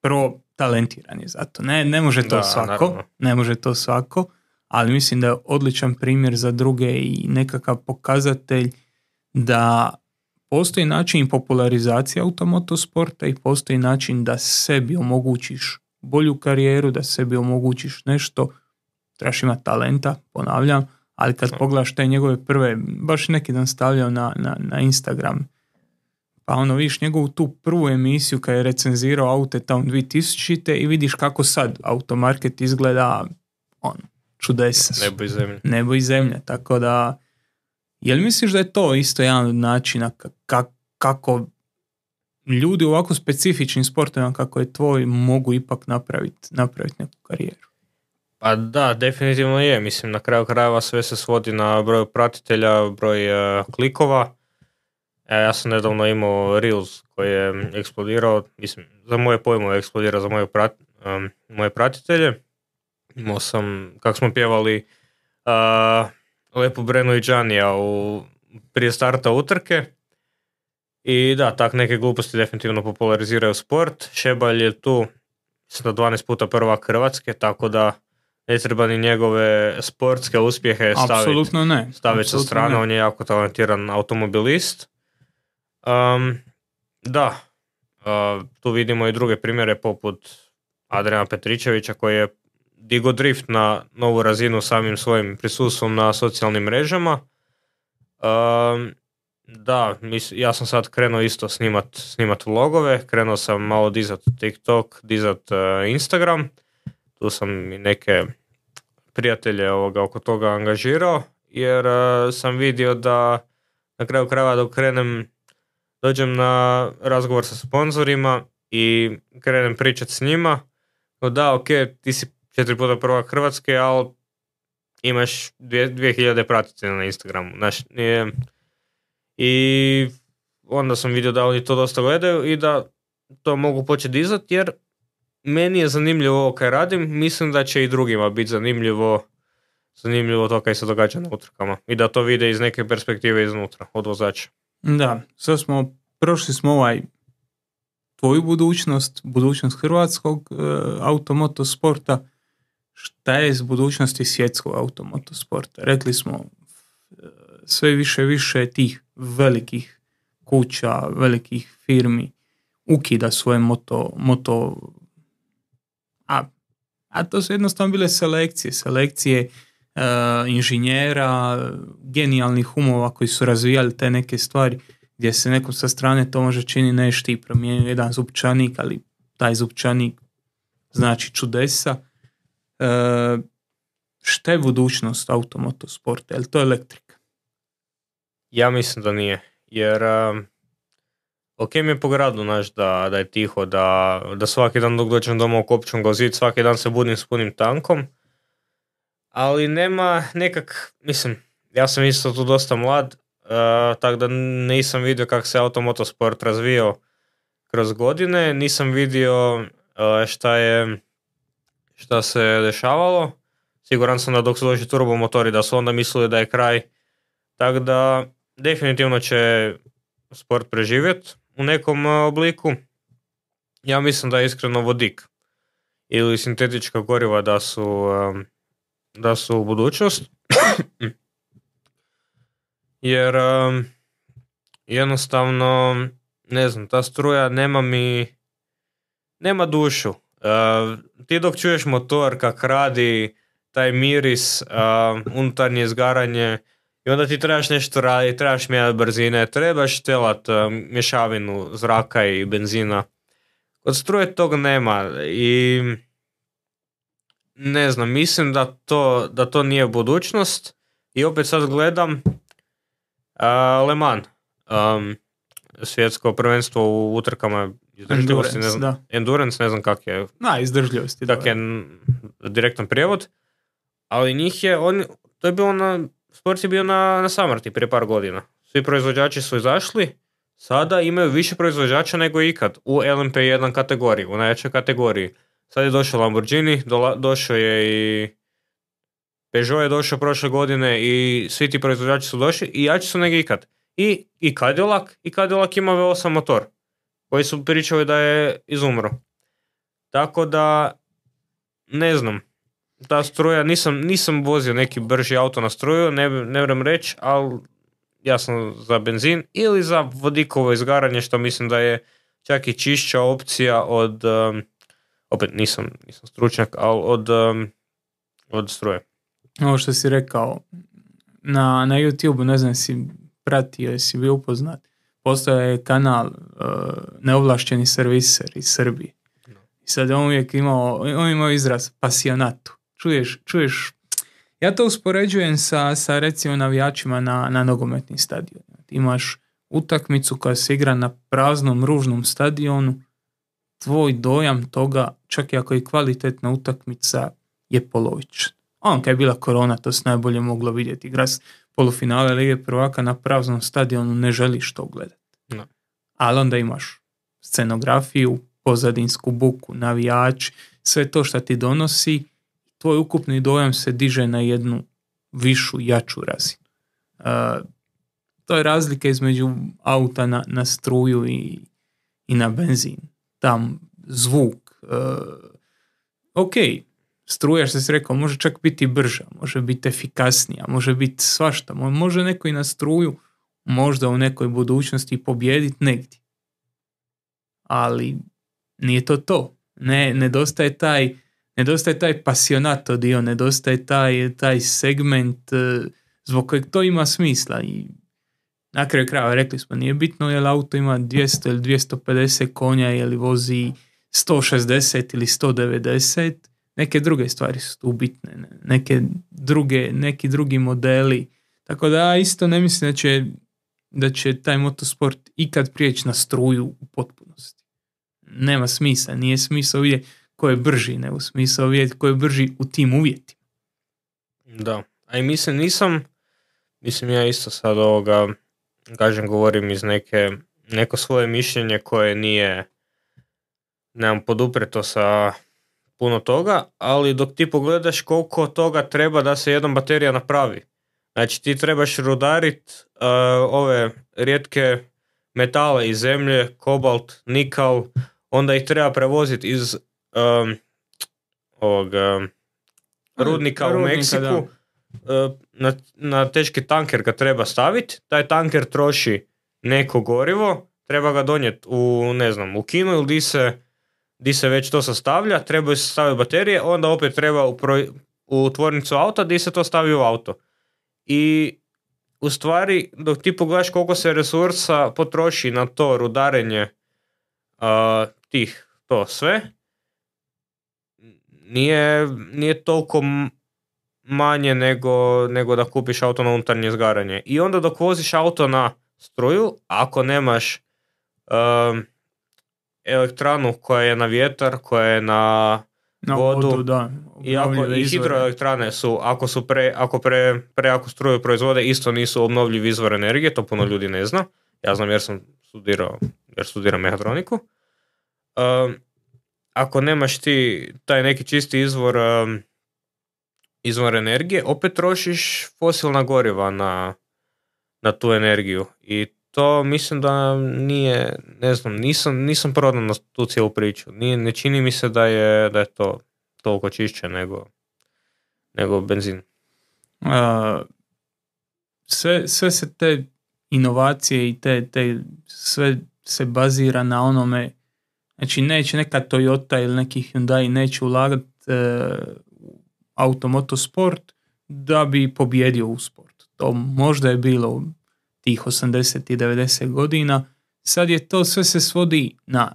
prvo talentiran je za to. Ne, ne može to da, svako, naravno. ne može to svako, ali mislim da je odličan primjer za druge i nekakav pokazatelj da postoji način popularizacije automotosporta i postoji način da sebi omogućiš bolju karijeru, da sebi omogućiš nešto, trebaš imati talenta, ponavljam, ali kad pogledaš te njegove prve, baš neki dan stavljao na, na, na Instagram, pa ono vidiš njegovu tu prvu emisiju kad je recenzirao aute tamo dvije tisućite i vidiš kako sad automarket izgleda, on, čudesa su. Nebo i zemlja. Nebo i zemlja, tako da jel misliš da je to isto jedan od načina kako, kako ljudi u ovako specifičnim sportovima kako je tvoj mogu ipak napraviti napraviti neku karijeru? Pa da, definitivno je. Mislim, na kraju krajeva sve se svodi na broj pratitelja, broj uh, klikova. E, ja sam nedavno imao Reels koji je eksplodirao, mislim, za moje pojmove eksplodirao za moje, prat, um, moje pratitelje. Imao sam, kako smo pjevali uh, Lepu Brenu i Džanija u, prije starta utrke. I da, tak neke gluposti definitivno populariziraju sport. Šebalj je tu sa dvanaest puta prvak Hrvatske, tako da ne treba ni njegove sportske uspjehe staviti staviti sa strane. Ne. On je jako talentiran automobilist. Um, da, uh, tu vidimo i druge primjere poput Adriana Petričevića koji je digo drift na novu razinu samim svojim prisustvom na socijalnim mrežama. Um, da, mis, ja sam sad krenuo isto snimat, snimat vlogove, krenuo sam malo dizat TikTok, dizat uh, Instagram, tu sam i neke prijatelje ovoga oko toga angažirao, jer uh, sam vidio da na kraju krajeva dok krenem, dođem na razgovor sa sponzorima i krenem pričat s njima, no da, ok, ti si četiri puta prvak Hrvatske, ali imaš dvije, dvije hiljade pratitelja na Instagramu. Znaš, je, i onda sam vidio da oni to dosta gledaju i da to mogu početi dizati, jer meni je zanimljivo ovo kaj radim, mislim da će i drugima biti zanimljivo zanimljivo to kaj se događa na utrkama i da to vide iz neke perspektive iznutra, od vozača. Da, sad smo, prošli smo ovaj tvoju budućnost, budućnost hrvatskog e, automotosporta. Šta je s budućnosti svjetskog automotosporta? Rekli smo e, sve više više tih velikih kuća, velikih firmi ukida svoje moto, moto a, a to su jednostavno bile selekcije, selekcije uh, inženjera, genijalnih umova koji su razvijali te neke stvari, gdje se nekom sa strane to može čini nešto i promijenio jedan zupčanik, ali taj zupčanik znači čudesa. Uh, šta je budućnost automotosporta? Je li to elektrika? Ja mislim da nije, jer um, ok mi je po gradu, znaš, da, da je tiho, da, da svaki dan dok dođem doma u Kopčom ga zid, svaki dan se budim s punim tankom, ali nema nekak, mislim, ja sam isto tu dosta mlad, uh, tako da nisam vidio kako se automotosport razvijao kroz godine, nisam vidio uh, šta je, šta se dešavalo. Siguran sam da dok su došli turbomotori da su onda mislili da je kraj. Tako da definitivno će sport preživjeti u nekom obliku. Ja mislim da je iskreno vodik ili sintetička goriva da su, da su u budućnost. Jer jednostavno, ne znam, ta struja nema mi, nema dušu. Uh, ti dok čuješ motor kak radi, taj miris, uh, unutarnje izgaranje, i onda ti trebaš nešto raditi, trebaš mijenjati brzine, trebaš telat uh, mješavinu zraka i benzina. Kod struje tog nema i ne znam, mislim da to, da to nije budućnost. I opet sad gledam uh, Le Mans, um, svjetsko prvenstvo u utrkama izdržljivosti, ne znam, da. endurance, ne znam kak je, Na, izdržljivosti. kak je direktan prijevod, ali njih je, on, to je bilo na, sport je bio na, na samrti prije par godina. Svi proizvođači su izašli, sada imaju više proizvođača nego ikad u L M P jedan kategoriji, u najjačoj kategoriji. Sad je došao Lamborghini, dola, došao je i Peugeot je došao prošle godine i svi ti proizvođači su došli i jači su nego ikad. I, i Cadillac, i Cadillac ima V osam motor, koji su pričali da je izumro. Tako da, ne znam, ta struja, nisam, nisam vozio neki brži auto na struju, ne, ne vrem reći, ali ja sam za benzin ili za vodikovo izgaranje, što mislim da je čak i čišća opcija od, um, opet nisam, nisam stručnjak, ali od, um, od struje. Ovo što si rekao, na, na YouTube, ne znam si pratio, jesi bio upoznat, postoje je kanal uh, neovlašteni serviser iz Srbije. No. I sad on uvijek imao, on imao izraz pasionatu. Čuješ, čuješ, ja to uspoređujem sa, sa recimo navijačima na, na nogometnim stadionima. Imaš utakmicu koja se igra na praznom, ružnom stadionu, tvoj dojam toga, čak i ako je kvalitetna utakmica, je polovičan. On kad je bila korona, to se najbolje moglo vidjeti. Igra polufinale Lige prvaka na praznom stadionu, ne želiš to gledati. No. Ali onda imaš scenografiju, pozadinsku buku, navijač, sve to što ti donosi, tvoj ukupni dojam se diže na jednu višu, jaču razinu. Uh, to je razlika između auta na, na struju i, i na benzin. Tam zvuk. Uh, ok, struja, što si rekao, može čak biti brža, može biti efikasnija, može biti svašta. Može neko i na struju možda u nekoj budućnosti pobijediti negdje. Ali nije to to. Ne, nedostaje taj nedostaje taj pasionato dio, nedostaje taj, taj segment zbog kojeg to ima smisla. I na kraju krajeva rekli smo, nije bitno je li auto ima dvjesto ili dvjesto pedeset konja, je li vozi sto šezdeset ili sto devedeset, neke druge stvari su tu bitne, neke druge, neki drugi modeli. Tako da ja isto ne mislim da će, da će taj motosport ikad prijeći na struju u potpunosti. Nema smisla, nije smisla vidjeti ko je brži, nego smisla vidjeti ko je brži u tim uvjetima. Da, a i mislim nisam, mislim ja isto sad ovoga, kažem, govorim iz neke, neko svoje mišljenje koje nije, nemam podupreto sa puno toga, ali dok ti pogledaš koliko toga treba da se jedna baterija napravi. Znači ti trebaš rudarit uh, ove rijetke metale iz zemlje, kobalt, nikal, onda ih treba prevoziti iz um, ovog um, rudnika, rudnika u Meksiku uh, na, na teški tanker ga treba staviti, taj tanker troši neko gorivo, treba ga donijeti u, ne znam, u kinu ili di se, di se već to sastavlja, trebaju se staviti baterije, onda opet treba u, proj, u tvornicu auta di se to stavi u auto. I u stvari, dok ti pogledaš koliko se resursa potroši na to rudarenje uh, tih, to sve, nije, nije toliko manje nego, nego da kupiš auto na unutarnje izgaranje. I onda dok voziš auto na struju, ako nemaš um, elektranu koja je na vjetar, koja je na, na vodu, vodu da, i, ako, i hidroelektrane su, ako su pre, ako pre, prejaku struju proizvode, isto nisu obnovljivi izvor energije, to puno ljudi ne zna. Ja znam jer sam studirao, jer studiram mehatroniku. Um, ako nemaš ti taj neki čisti izvor um, izvor energije, opet trošiš fosilna goriva na, na tu energiju. I to mislim da nije, ne znam, nisam, nisam prodan na tu cijelu priču. Nije, ne čini mi se da je, da je to toliko čišće nego, nego benzin. Uh, sve, sve se te inovacije i te, te sve se bazira na onome, znači neće neka Toyota ili neki Hyundai neće ulagati uh, automotosport da bi pobjedio u sport. To možda je bilo tih osamdeset i devedeset godina. Sad je to sve se svodi na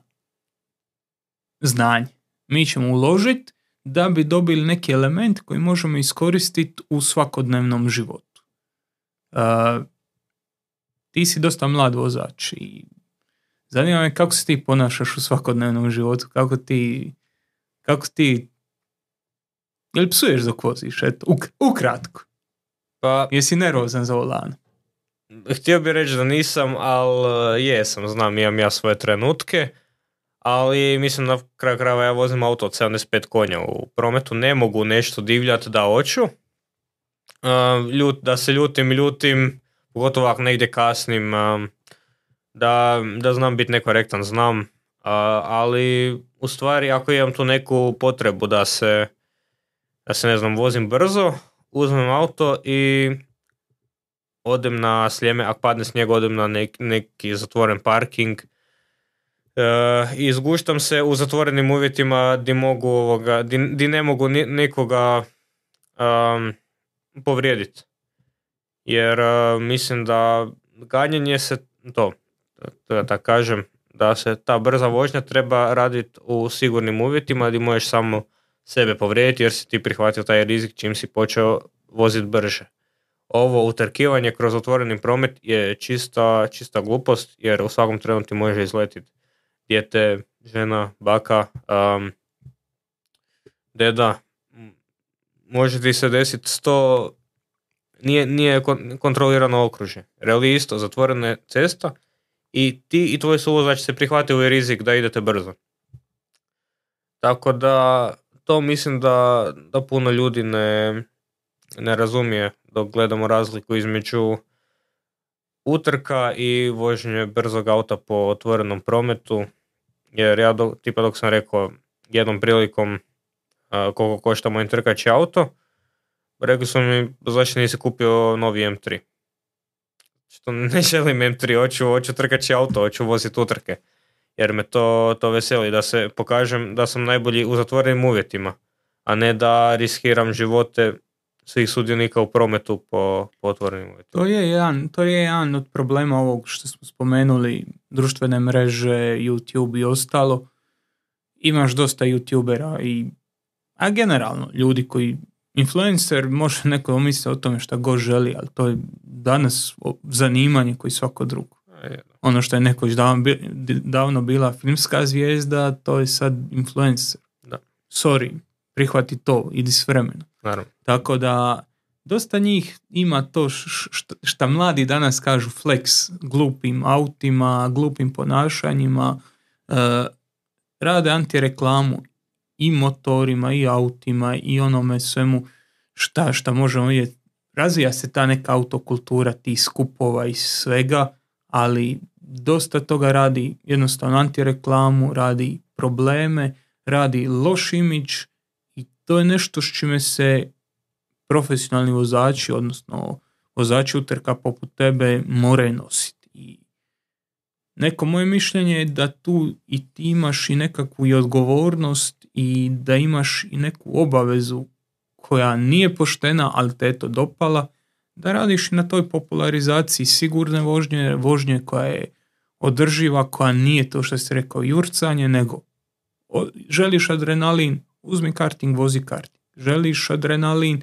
znanje. Mi ćemo uložiti da bi dobili neki element koji možemo iskoristiti u svakodnevnom životu. Uh, ti si dosta mlad vozač i zanima me kako se ti ponašaš u svakodnevnom životu, kako ti kako ti jel psuješ dok voziš, eto, uk- ukratko. Pa, jesi nervozan za volan? Htio bih reći da nisam, ali jesam, znam, imam ja svoje trenutke, ali mislim na kraju krajeva ja vozim auto od sedamdeset pet konja u prometu, ne mogu nešto divljati da hoću. Uh, ljut, da se ljutim, ljutim, pogotovo ako negdje kasnim, uh, da, da znam biti nekorektan, znam, uh, ali u stvari ako imam tu neku potrebu da se, da se ne znam, vozim brzo, uzmem auto i odem na Sljeme, ako padne snijeg, odem na nek, neki zatvoren parking uh, i izguštam se u zatvorenim uvjetima di, mogu ovoga, di, di ne mogu ni, nikoga um, povrijediti. Jer uh, mislim da ganjanje se, to, da tako kažem, da se ta brza vožnja treba raditi u sigurnim uvjetima gdje možeš samo sebe povrijediti jer si ti prihvatio taj rizik čim si počeo voziti brže. Ovo utrkivanje kroz otvoreni promet je čista, čista glupost jer u svakom trenutku ti može izletiti dijete, žena, baka, um, deda. Može ti se desiti sto, nije, nije kontrolirano okružje. Reali isto, zatvorena je cesta i ti i tvoj suvozač se prihvatili rizik da idete brzo. Tako da to mislim da, da puno ljudi ne, ne razumije dok gledamo razliku između utrka i vožnje brzog auta po otvorenom prometu. Jer ja, do, tipa dok sam rekao jednom prilikom uh, koliko košta moj trkaći auto, rekli su mi zašto nisi kupio novi em tri. Što ne želim em tri, hoću, hoću trkaći auto, hoću voziti utrke. Jer me to, to veseli da se pokažem da sam najbolji u zatvorenim uvjetima, a ne da riskiram živote svih sudionika u prometu po, po otvorenim uvjetima. To je jedan, to je jedan od problema ovog što smo spomenuli, društvene mreže, YouTube i ostalo. Imaš dosta YouTubera i, a generalno ljudi koji, influencer, može neko omisliti o tome šta god želi, ali to je danas zanimanje koji svako drugo. Ono što je nekoć davno, davno bila filmska zvijezda, to je sad influencer. Da. Sorry, prihvati to, idi s vremenom. Naravno. Tako da, dosta njih ima to šta, šta mladi danas kažu flex, glupim autima, glupim ponašanjima, uh, rade antireklamu i motorima, i autima, i onome svemu šta, šta možemo vidjeti. Razvija se ta neka autokultura, tih skupova i svega, ali dosta toga radi jednostavno antireklamu, radi probleme, radi loš imidž i to je nešto s čime se profesionalni vozači, odnosno vozači utrka poput tebe moraju nositi. I neko moje mišljenje je da tu i ti imaš i nekakvu i odgovornost i da imaš i neku obavezu koja nije poštena, ali te je to dopala, da radiš i na toj popularizaciji sigurne vožnje, vožnje koja je održiva, koja nije to što si rekao jurcanje, nego o, želiš adrenalin, uzmi karting, vozi karting. Želiš adrenalin,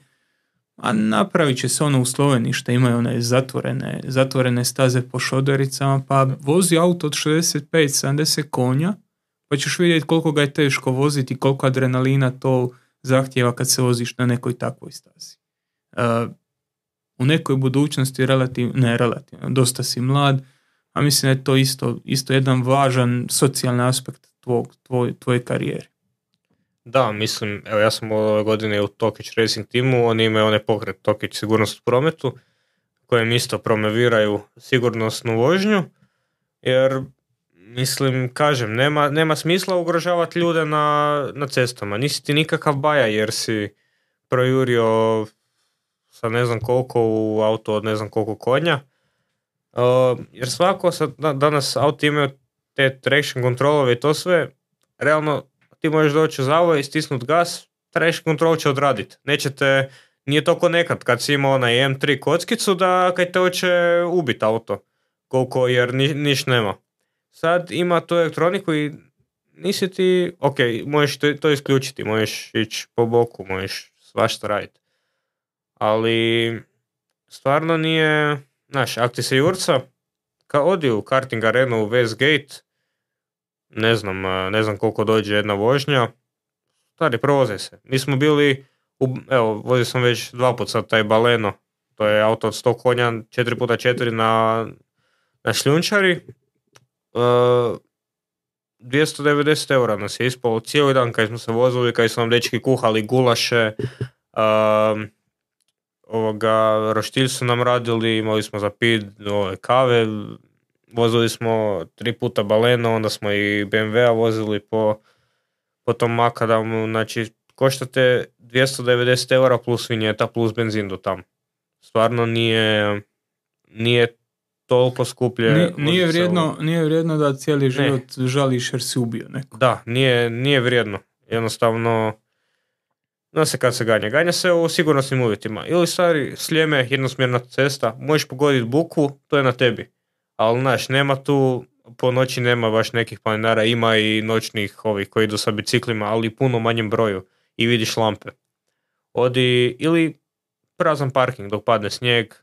a napravit će se ono u Sloveniji što imaju one zatvorene, zatvorene staze po šodericama, pa vozi auto od šezdeset pet sedamdeset konja, pa ćeš vidjeti koliko ga je teško voziti, koliko adrenalina to zahtjeva kad se voziš na nekoj takvoj stazi. Uh, u nekoj budućnosti relativno, ne relativno, dosta si mlad, a mislim da je to isto, isto jedan važan socijalni aspekt tvog, tvoj, tvoje karijere. Da, mislim, evo ja sam ove godine u Tokić Racing timu, oni imaju onaj pokret Tokić sigurnost u prometu, kojem isto promoviraju sigurnosnu vožnju, jer mislim, kažem, nema, nema smisla ugrožavati ljude na, na cestama. Nisi ti nikakav baja jer si projurio sa ne znam koliko u auto od ne znam koliko konja. Uh, jer svako sad, danas auto imaju te traction kontrolove i to sve, realno ti možeš doći u zavoj i stisnut gas, traction control će odraditi. Nećete, nije to ko nekad kad si imao onaj em tri kockicu da kad te hoće ubiti auto, koliko jer ni, niš nema. Sad ima tu elektroniku i nisi ti, ok, možeš to, to isključiti, možeš ići po boku, možeš svašta raditi. Ali stvarno nije, znaš, ako ti se jurca, kao odi u karting arenu u Westgate, ne znam, ne znam koliko dođe jedna vožnja, stari, provoze se. Mi smo bili, u, evo, vozio sam već dva put sad taj Baleno, to je auto od sto konja, četiri puta četiri na, na šljunčari, uh, dvjesto devedeset eura nas je ispalo cijeli dan kad smo se vozili, kad su nam dečki kuhali gulaše, uh, ovoga, roštilj su nam radili, imali smo za pit ove kave, vozili smo tri puta Baleno, onda smo i be em ve a vozili po, po tom makadamu, znači koštate dvjesto devedeset eura plus vinjeta plus benzin do tam. Stvarno nije, nije toliko skuplje. Nije, nije, vrijedno, nije vrijedno da cijeli život ne. žališ jer si ubio neko. Da, nije, nije vrijedno. Jednostavno, zna se kad se ganja. Ganja se u sigurnosnim uvjetima. Ili stari Sljeme, jednosmjerna cesta, možeš pogoditi buku, to je na tebi. Ali znaš, nema tu, po noći nema baš nekih planinara, ima i noćnih ovih koji idu sa biciklima, ali puno manjem broju i vidiš lampe. Odi, ili prazan parking dok padne snijeg,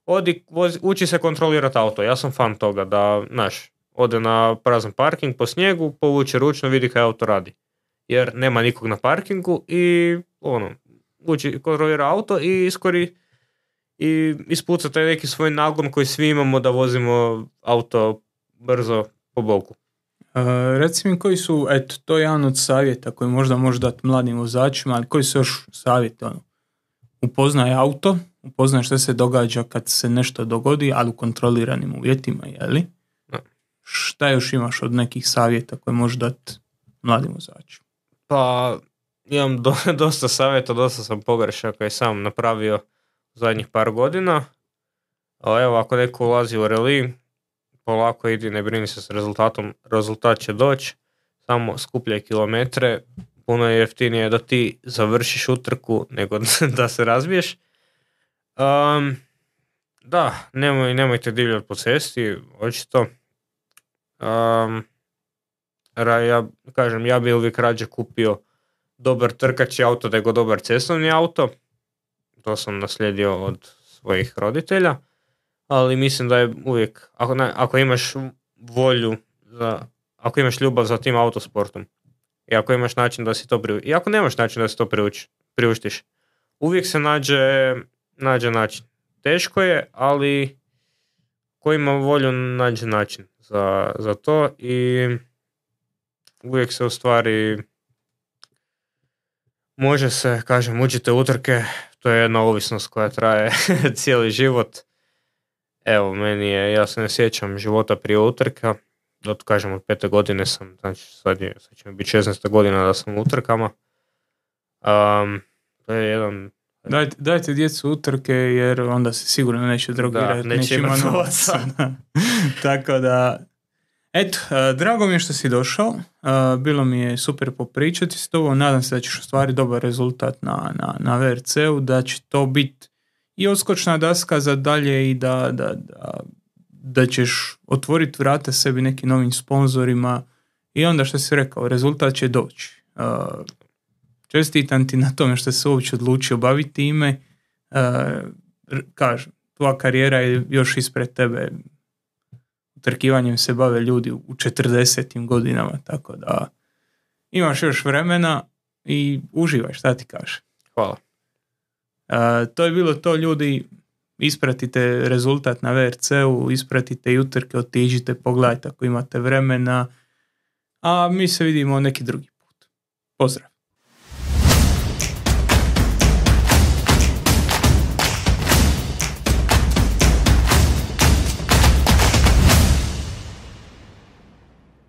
odi, vozi, uči se kontrolirati auto. Ja sam fan toga da, znaš, ode na prazan parking po snijegu, povuče ručno, vidi kaj auto radi. Jer nema nikog na parkingu i ono, uči, kontrolira auto i iskori i ispuca taj neki svoj nagon koji svi imamo da vozimo auto brzo po boku. Uh, reci mi koji su, eto, to je jedan od savjeta koji možda može dati mladim vozačima, ali koji su još savjeti, ono, upoznaj auto, upoznaj što se događa kad se nešto dogodi, ali u kontroliranim uvjetima, jeli? No. Šta još imaš od nekih savjeta koje može dati mladim vozačima? Pa, imam do, dosta savjeta, dosta sam pogrešaka i sam napravio zadnjih par godina. Ali evo, ako neko ulazi u reli, polako idi, ne brini se s rezultatom, rezultat će doći, samo skupljaj kilometre, puno je jeftinije da ti završiš utrku nego da se razbiješ. Um, da, nemoj, nemojte divljati po cesti, očito. Um, ja kažem, ja bi uvijek rađe kupio dobar trkački auto nego dobar cestovni auto. To sam naslijedio od svojih roditelja, ali mislim da je uvijek, ako, ne, ako imaš volju, za, ako imaš ljubav za tim autosportom i ako imaš način da si to priuštiš, i ako nemaš način da si to priuči, priuštiš, uvijek se nađe, nađe način. Teško je, ali ko ima volju nađe način za, za to i uvijek se u stvari može se, kažem, učite utrke, to je jedna ovisnost koja traje cijeli život. Evo, meni je, ja se ne sjećam života prije utrka, od, kažem, od pete godine sam, znači sad, je, sad će mi biti šesnaesta godina da sam u utrkama. Um, to je jedan... Dajte, dajte djecu utrke jer onda se sigurno neće drogirati, da, neće imati novaca. Tako da, Eto, uh, drago mi je što si došao, uh, bilo mi je super popričati s tobom, nadam se da ćeš ostvariti dobar rezultat na, na, na V R C-u, da će to biti i odskočna daska za dalje i da, da, da, da ćeš otvoriti vrata sebi nekim novim sponzorima i onda što si rekao, rezultat će doći. Uh, čestitam ti na tome što se uopće odlučio baviti time, uh, kažem, tvoja karijera je još ispred tebe, utrkivanjem se bave ljudi u četrdesetim godinama, tako da imaš još vremena i uživaj, šta ti kažeš. Hvala. Uh, to je bilo to, ljudi, ispratite rezultat na V R C-u, ispratite i utrke, otiđite, pogledajte ako imate vremena, a mi se vidimo neki drugi put. Pozdrav.